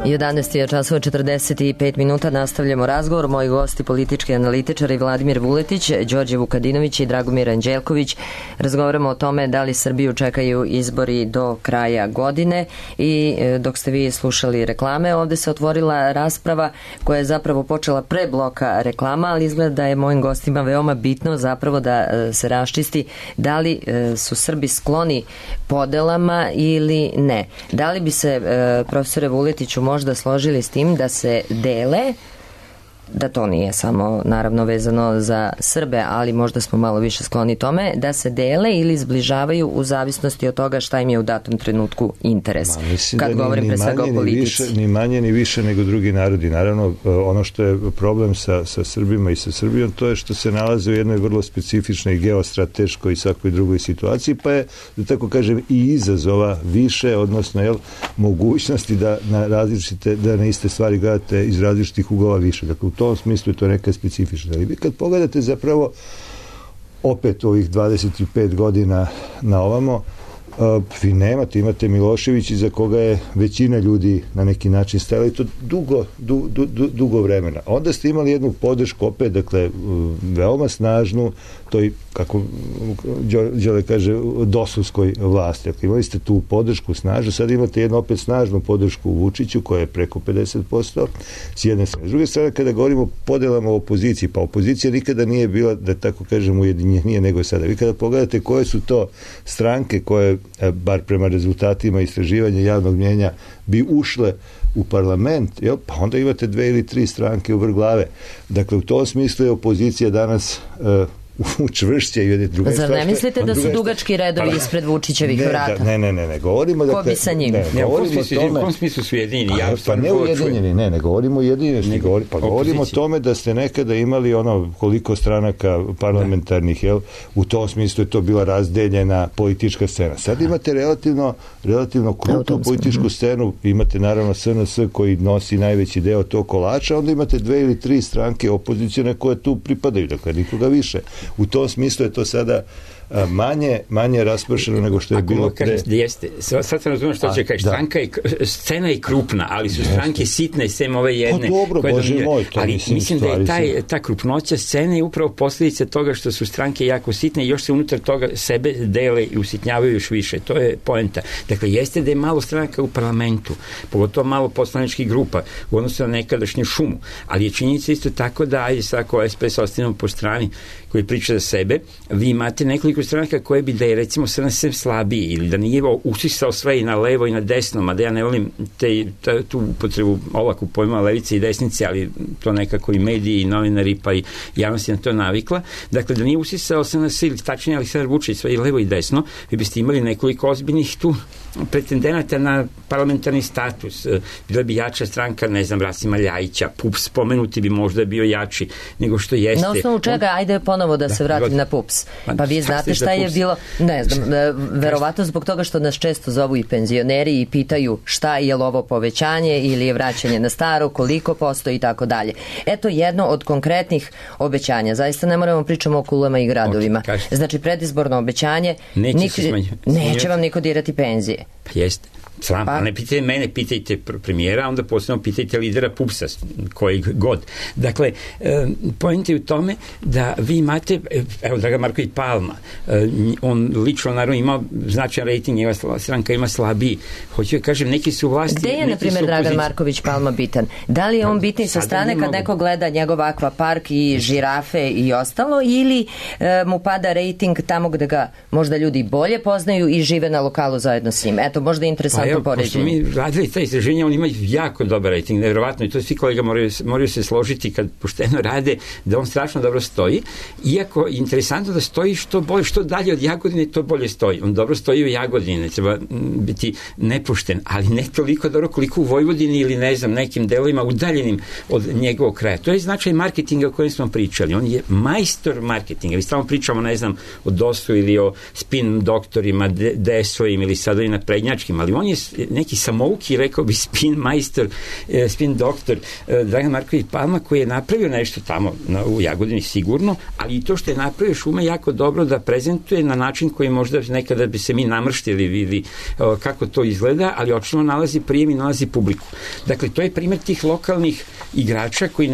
I 11 je časova 45 minuta, nastavljamo razgovor. Moji gosti, politički analitičari Vladimir Vuletić, Đorđe Vukadinović i Dragomir Anđelković. Razgovaramo o tome da li Srbiju čekaju izbori do kraja godine i dok ste vi slušali reklame, ovde se otvorila rasprava koja je zapravo počela pre bloka reklama, ali izgleda da je mojim gostima veoma bitno zapravo da se raščisti da li su Srbi skloni podelama ili ne. Da li bi se, profesore Vuletiću, možda složili s tim da se dele, da to nije samo naravno vezano za Srbe, ali možda smo malo više skloni tome, da se dele ili zbližavaju u zavisnosti od toga šta im je u datom trenutku interes. Kad govorim pre svega o politici. Ni manje ni više nego drugi narodi. Naravno, ono što je problem sa Srbima i sa Srbijom, to je što se nalaze u jednoj vrlo specifičnoj geostrateškoj i svakoj drugoj situaciji, pa je, da tako kažem, i izazova više, odnosno mogućnosti da na iste stvari gledate iz različitih uglova više. Dakle, u tom smislu je to neka specifična. Ali vi kad pogledate zapravo opet ovih 25 godina na ovamo, vi imate Milošević iza koga je većina ljudi na neki način stajala i to dugo vremena. Onda ste imali jednu podršku opet, dakle, veoma snažnu, toj, kako Đole kaže, dosovskoj vlasti. Dakle, imali ste tu podršku snažnu, sad imate jednu opet snažnu podršku u Vučiću koja je preko 50% s jedne strane. S druge strane, kada govorimo o podelama u opoziciji, pa opozicija nikada nije bila, da tako kažem, ujedinjenija nego sada. Vi kada pogledate koje su to stranke koje, bar prema rezultatima istraživanja javnog mnjenja, bi ušle u parlament, pa onda imate 2 ili 3 stranke u vrh glave. Dakle, u tom smislu je opozicija danas učvršća i druga strana. Zar ne mislite da su dugački redovi ispred Vučićevih vrata? Ne, govorimo da... Ko bi sa njim? U kom smislu su ujedinjeni? Pa ne ujedinjeni, ne govorimo ujedinjeni, pa govorimo o tome da ste nekada imali koliko stranaka parlamentarnih, u tom smislu je to bila razdeljena politička scena. Sad imate relativno krupnu političku scenu, imate naravno SNS koji nosi najveći deo tog kolača, onda imate 2 ili 3 stranke opozicijone koje tu pripadaju, dakle nikoga više. U tom smislu je to sada manje raspršeno nego što je bilo pre. Jeste. Sad sam razumio što će kaži. Scena je krupna, ali su stranke sitne, sem ove jedne. Pa dobro, Bože moj, to ali mislim da je ta krupnoća scene upravo posljedica toga što su stranke jako sitne i još se unutar toga sebe dele i usitnjavaju još više. To je poenta. Dakle, jeste da je malo stranaka u parlamentu, pogotovo malo poslaničkih grupa u odnosu na nekadašnju šumu, ali je činjenica isto tako da, ajde svako SPS ostavimo po strani koji priča za sebe, vi imate nekoliko stranaka koje bi da je recimo SNS slabiji ili da nije usisao sve i na levo i na desno, mada ja ne volim tu upotrebu olaku pojma levice i desnice, ali to nekako i mediji i novinari pa i javnost je na to navikla. Dakle, da nije usisao SNS ili tačnije Aleksandar Vučić sve i levo i desno, vi biste imali nekoliko ozbiljnih tu pretendenata na parlamentarni status. Bila bi jača stranka, ne znam, Rasima Ljajića, PUPS spomenuti bi možda bio jači nego što jeste. Na osnovu čega, ajde ponovo da se vratim na PUPS. Pa vi znate šta je bilo, ne znam, verovatno zbog toga što nas često zovu i penzioneri i pitaju šta je li ovo povećanje ili je vraćanje na staro, koliko postoji i tako dalje. Eto jedno od konkretnih obećanja. Zaista ne moramo pričamo o kulama i gradovima. Znači predizborno obećanje, neće vam niko dirati penzije. Pa jeste. Sram, pa ne pitajte mene, pitajte premijera, onda posebno pitajte lidera PUPS-a, kojeg god. Dakle, point je u tome da vi imate, evo, Dragan Marković Palma, on lično naravno ima značajan rejting, njegova stranka ima slabiji. Hoću da kažem, neki su vlasti... Gde je, na primjer, Dragan Marković Palma bitan? Da li je on bitniji sa strane kad neko gleda njegov akvapark i žirafe i ostalo, ili mu pada rejting tamo gde ga možda ljudi bolje poznaju i žive na lokalu zajedno s njim? Eto, možda je interesantno poređenje. Pošto mi radili taj istraženje, on ima jako dobar rejting, nevjerovatno, i to svi kolega moraju se složiti kad pošteno rade, da on strašno dobro stoji, iako je interesantno da stoji što dalje od Jagodine, to bolje stoji. On dobro stoji u Jagodini, ne treba biti nepošten, ali ne toliko dobro koliko u Vojvodini ili ne znam, nekim delovima udaljenim od njegovog kraja. To je značaj marketinga o kojem smo pričali. On je majstor marketinga. Vi stalno pričamo, ne znam, o DOS-u ili o spin doktorima, DS-ovim ili sad ovim naprednjačkim, ali on je neki samouki, rekao bi, spin majstor, spin doktor Dragan Marković Palma, koji je napravio nešto tamo u Jagodini sigurno, ali i to što je napravio ume jako dobro da prezentuje na način koji možda nekada bi se mi namrštili ili kako to izgleda, ali očično nalazi prijem i nalazi publiku. Dakle, to je primjer tih lokalnih igrača koji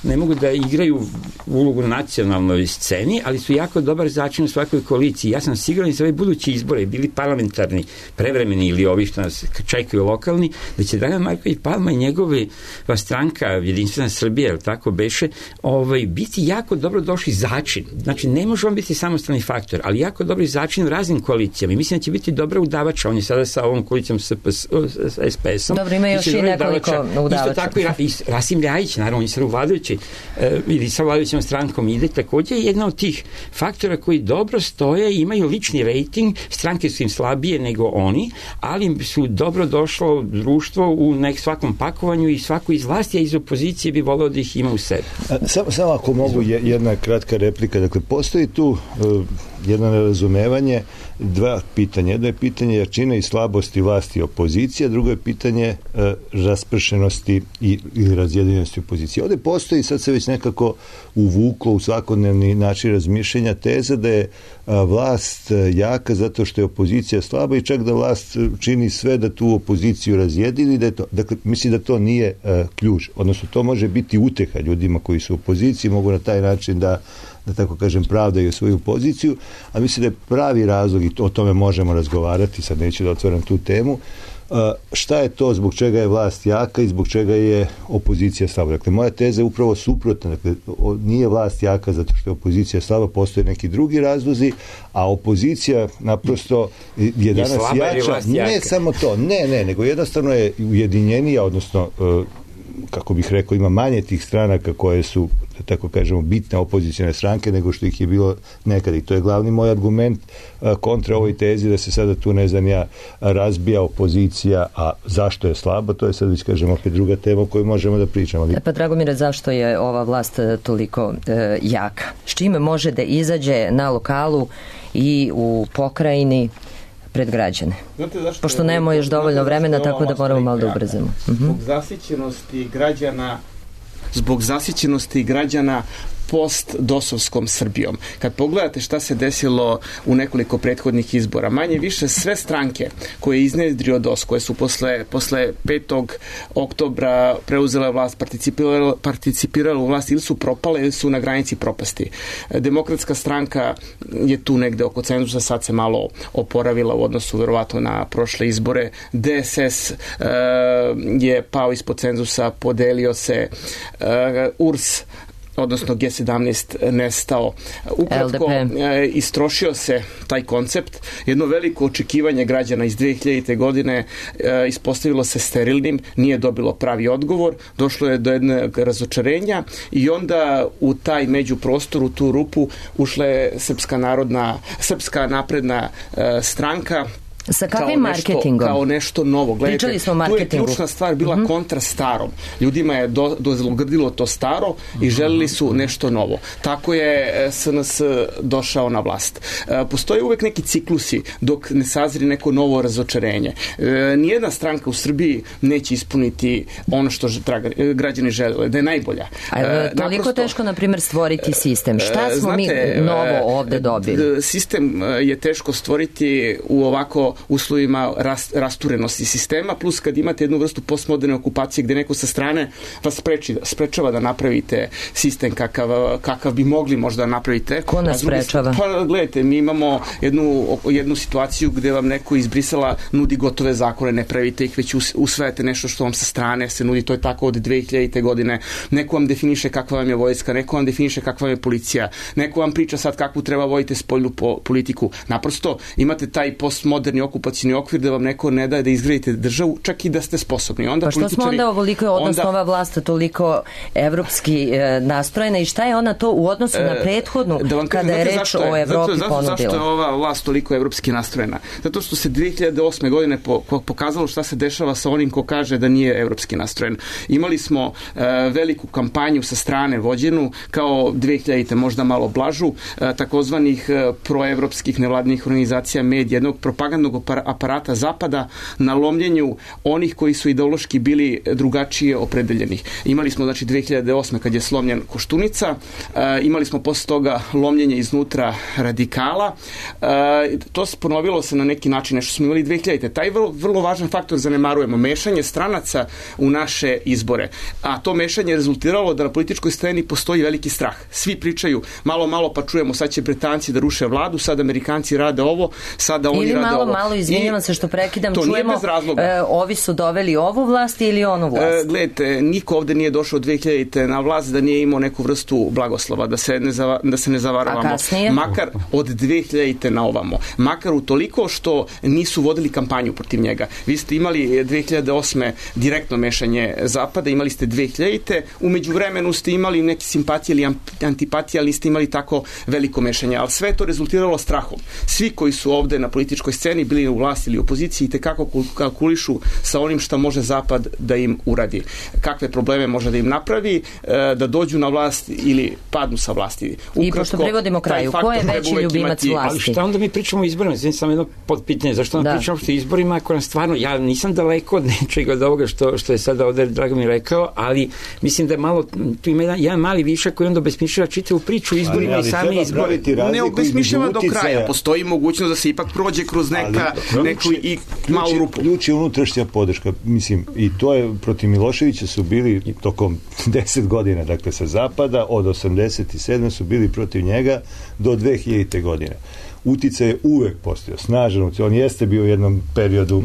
ne mogu da igraju ulogu na nacionalnoj sceni, ali su jako dobar začin u svakoj koaliciji. Ja sam siguran za ove buduće izbore, bili parlamentarni, prevremeni ili ovi što nas čekaju lokalni, da će Dragan Marković Palma i njegova stranka Jedinstvena Srbija, tako beše, biti jako dobro došli začin. Znači, ne može on biti samostalni faktor, ali jako dobri začin u raznim koalicijama. I mislim da će biti dobra udavača. On je sada sa ovom koalicijom SPS-om. Dobro, ima još i nekoliko udavača. Isto tako i Rasim Ljajić, naravno, on je sad u vladajućoj ili sa vladajućom strankom ide, također je jedna od tih faktora koji dobro stoje i imaju lični rejting, stranke su im slabije nego oni, ali su dobro došlo društvo u svakom pakovanju i svako iz vlasti, a iz opozicije bi voleo da ih ima u sebi. Samo ako mogu jedna kratka replika. Dakle, postoji tu jedno nerazumevanje, dva pitanja. Jedno je pitanje jačine i slabosti vlasti i opozicije, drugo je pitanje raspršenosti i razjedinjenosti opozicije. Ovdje postoji, sad se već nekako uvuklo u svakodnevni način razmišljanja, teza da je vlast jaka zato što je opozicija slaba i čak da vlast čini sve da tu opoziciju razjedini. Dakle, mislim da to nije ključ. Odnosno, to može biti uteha ljudima koji su u opoziciji, mogu na taj način da tako kažem, pravdaju svoju poziciju, a mislim da je pravi razlog, i o tome možemo razgovarati, sad neću da otvaram tu temu, šta je to zbog čega je vlast jaka i zbog čega je opozicija slaba. Dakle, moja teza je upravo suprotna. Dakle, nije vlast jaka zato što je opozicija slaba, postoje neki drugi razlozi, a opozicija naprosto je danas jača. Ne samo to, nego jednostavno je ujedinjenija, odnosno kako bih rekao, ima manje tih stranaka koje su, tako kažemo, bitne opozicijne stranke nego što ih je bilo nekad. I to je glavni moj argument kontra ovoj tezi da se sada tu, ne znam ja, razbija opozicija, a zašto je slaba, to je sad već, kažemo, opet druga tema o kojoj možemo da pričamo. Pa Dragomire, zašto je ova vlast toliko jaka? S čime može da izađe na lokalu i u pokrajini pred građane? Pošto nemamo još dovoljno vremena, tako da moramo malo da ubrzamo. Zbog zasićenosti građana post-dosovskom Srbijom. Kad pogledate šta se desilo u nekoliko prethodnih izbora, manje više sve stranke koje je iznedrio DOS, koje su posle 5. oktobra preuzele vlast, participirale u vlast, ili su propale ili su na granici propasti. Demokratska stranka je tu negde oko cenzusa, sad se malo oporavila u odnosu verovatno na prošle izbore. DSS je pao ispod cenzusa, podelio se, URS odnosno G17 nestao. Ukratko, istrošio se taj koncept. Jedno veliko očekivanje građana iz 2000. godine ispostavilo se sterilnim, nije dobilo pravi odgovor, došlo je do jednog razočarenja i onda u taj međuprostor, u tu rupu, ušla je Srpska napredna stranka, sa kakvim marketingom? Kao nešto novo. Gledajte, tu je ključna stvar bila kontra starom. Ljudima je dozlogrdilo to staro i želili su nešto novo. Tako je SNS došao na vlast. Postoje uvek neki ciklusi dok ne sazri neko novo razočarenje. Nijedna stranka u Srbiji neće ispuniti ono što građani žele, da je najbolja. Toliko teško, na primjer, stvoriti sistem. Šta smo mi novo ovde dobili? Sistem je teško stvoriti u ovako uslovima rasturenosti sistema, plus kad imate jednu vrstu postmoderne okupacije gde neko sa strane vas sprečava da napravite sistem kakav bi mogli možda napravite. Ko nas sprečava? Pa gledajte, mi imamo jednu situaciju gde vam neko iz Brisela nudi gotove zakone, ne pravite ih, već usvajate nešto što vam sa strane se nudi, to je tako od 2000. godine. Neko vam definiše kakva vam je vojska, neko vam definiše kakva vam je policija, neko vam priča sad kakvu treba voditi spoljnu politiku. Naprosto imate taj postmoderni okupacijni okvir da vam neko ne daje da izgradite državu, čak i da ste sposobni. Onda pa što smo onda ovoliko, odnosno ova vlast toliko evropski nastrojena i šta je ona to u odnosu na prethodnu kada je reč o Evropi ponudila? Zašto je ova vlast toliko evropski nastrojena? Zato što se 2008. godine pokazalo šta se dešava sa onim ko kaže da nije evropski nastrojen. Imali smo veliku kampanju sa strane vođenu, kao 2000-te, možda malo blažu, takozvanih proevropskih nevladnih organizacija, medija, jednog propagandnog aparata Zapada na lomljenju onih koji su ideološki bili drugačije opredeljenih. Imali smo, znači, 2008. kad je slomljen Koštunica, imali smo posle toga lomljenje iznutra radikala. To ponovilo se na neki način, nešto smo imali 2000-te. Taj vrlo važan faktor zanemarujemo, mešanje stranaca u naše izbore. A to mešanje je rezultiralo da na političkoj sceni postoji veliki strah. Svi pričaju malo pa čujemo sad će Britanci da ruše vladu, sad Amerikanci rade ovo, sada oni rade ovo. Ili malo, izvinjavam se što prekidam, čujemo ovi su doveli ovu vlast ili onu vlast. Gledajte, niko ovde nije došao od 2000-te na vlast da nije imao neku vrstu blagoslova, da se ne zavaravamo. A kasnije? Makar od 2000-te na ovamo. Makar utoliko što nisu vodili kampanju protiv njega. Vi ste imali 2008. direktno mešanje Zapada, imali ste 2000-te, umeđu vremenu ste imali neke simpatije ili antipatije, ali niste imali tako veliko mešanje. Ali sve to rezultiralo strahom. Svi koji su ovde na političkoj sceni bili u vlasti ili opoziciji i tekako kalkulišu sa onim šta može Zapad da im uradi. Kakve probleme može da im napravi, da dođu na vlast ili padnu sa vlasti. Ukratko, i pošto privodimo kraju, ko je veći ljubimac vlasti? Ali šta onda mi pričamo o izborima? Znači, samo jedno podpitanje, zašto onda pričamo o izborima ako nam stvarno, ja nisam daleko od nečega od ovoga što je sada ovde Dragomir rekao, ali mislim da je malo, tu ima jedan mali višak koji onda obesmišljava čitavu priču izborima i sami izbori. Ne obesmišljava do kraja, postoji mogućnost da se ipak prođe kroz neku i malu rupu. Ključ je unutrašnja podrška, mislim, i to je protiv Miloševića su bili tokom 10 godina, dakle sa zapada, od 87. su bili protiv njega do 2000. godine. Uticaj je uvek postojao, snažan uticaj. On jeste bio u jednom periodu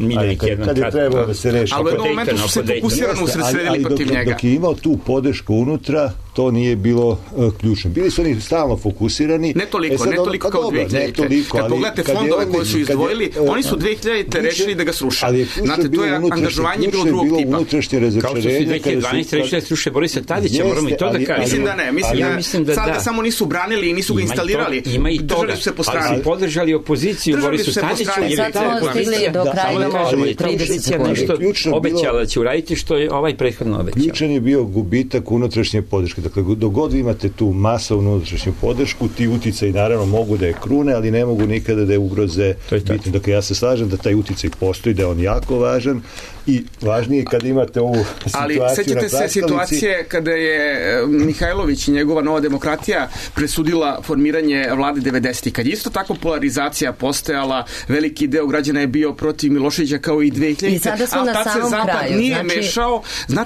kad je trebalo da se reši. Ali u jednom momentu su se fokusirano usredsredili protiv njega. Dok je imao tu podršku unutra, to nije bilo ključno. Bili su oni stalno fokusirani. Ne toliko kao 2000. Kad pogledate fondove koje su izdvojili, oni su 2000. rešili da ga sruše. Znate, to je angažovanje bilo drugog tipa. Kao što su 2012. rešili da sruše Borisa Tadića, moramo i to da kažemo. Mislim da ne. Mislim da sad ga samo nisu branili i nisu ga instalirali. Držali su se po strani. Podržali opoziciju Borisu Tadiću. Sad smo stigli do kraja, možemo 30 sekundi. Nešto obećala da će uraditi što je ovaj prethodno obećao. Ključan je bio gubitak unutrašnje podrške. Dakle, dok god imate tu masovnu unutrašnju podršku, ti uticaji naravno mogu da je krune, ali ne mogu nikada da je ugroze bitno. Dakle, ja se slažem da taj uticaj postoji, da je on jako važan i važnije kad imate ovu situaciju. Ali sećate se situacije kada je Mihajlović i njegova Nova demokratija presudila formiranje vlade 90. Kad je isto tako polarizacija postojala, veliki deo građana je bio protiv Miloševića kao i 2000. I sada smo na samom kraju. Zapad nije mešao,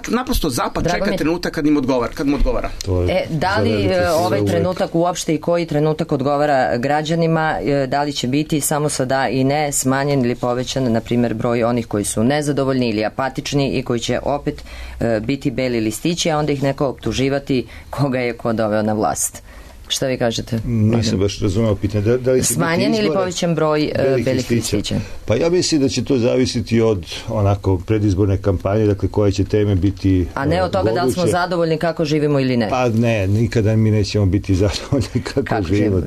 naprosto Zapad čeka trenutak kad mu odgovara. Da li ovaj trenutak uopšte i koji trenutak odgovara građanima, da li će biti samo sa da i ne, smanjen ili povećan, na primjer, broj onih koji su nezadovoljni ili apatični i koji će opet biti beli listići, a onda ih neko optuživati koga je ko doveo na vlast. Šta vi kažete? Nisam baš razumeo pitanje. Da li smanjen ili povećan broj belih listića? Pa ja mislim da će to zavisiti od onako predizborne kampanje, dakle koje će teme biti a ne od toga da li smo zadovoljni kako živimo ili ne. Pa ne, nikada mi nećemo biti zadovoljni kako živimo.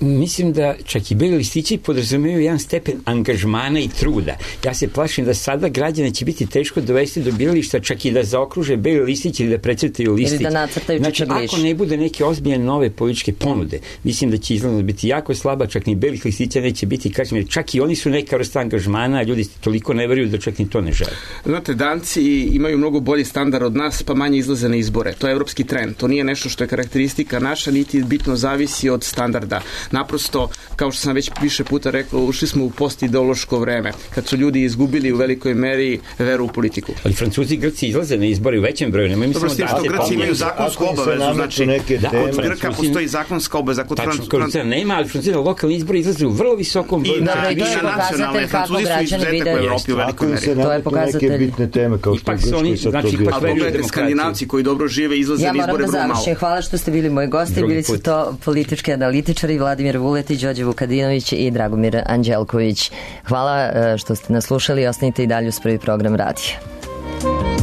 Mislim da čak i beli listići podrazumijevaju jedan stepen angažmana i truda. Ja se plašim da sada građane će biti teško dovesti do birališta, čak i da zaokruže beli listić ili da precrtaju listić. Ili da nacrtaju čitagliš. Znači, ako ne bude neke ozbiljne nove političke ponude. Mislim da će izlaznost biti jako slaba, čak ni belih listića neće biti, kažem, jer čak i oni su neka vrsta angažmana, a ljudi toliko ne veruju da čak ni to ne žele. Znate, Danci imaju mnogo bolji standard od nas, pa manje izlaze na izbore. To je evropski trend. To nije nešto što je karakteristika naša, niti bitno zavisi od standarda. Naprosto, kao što sam već više puta rekao, ušli smo u postideološko vreme, kad su ljudi izgubili u velikoj meri veru u politiku. Ali Francuzi i Grci izlaze na izbore u većem broju. Nemoj Dobro, s tim što Grci imaju zakonsku obavezu, znači kod Grka postoji zakonska obaveza, kod Francuza nema, ali Francuzi na lokalni izbori izlaze u vrlo visokom broju. I na nacionalne. Francuzi su izuzetak u Evropi u velikoj meri. To je pokazatelj. Neke bitne teme kao što je Grčkoj sa to bio. A pogledajte, Skandinavci koji dobro žive izlaze na izbore vrlo malo. Ja moram da završim. Hvala što ste bili moji gosti. Bili su to politički analitičari Vladimir Vuletić, Đorđe Vukadinović i Dragomir Anđelković. Hvala što ste nas slušali. Ostanite i dalje uz prvi program radija.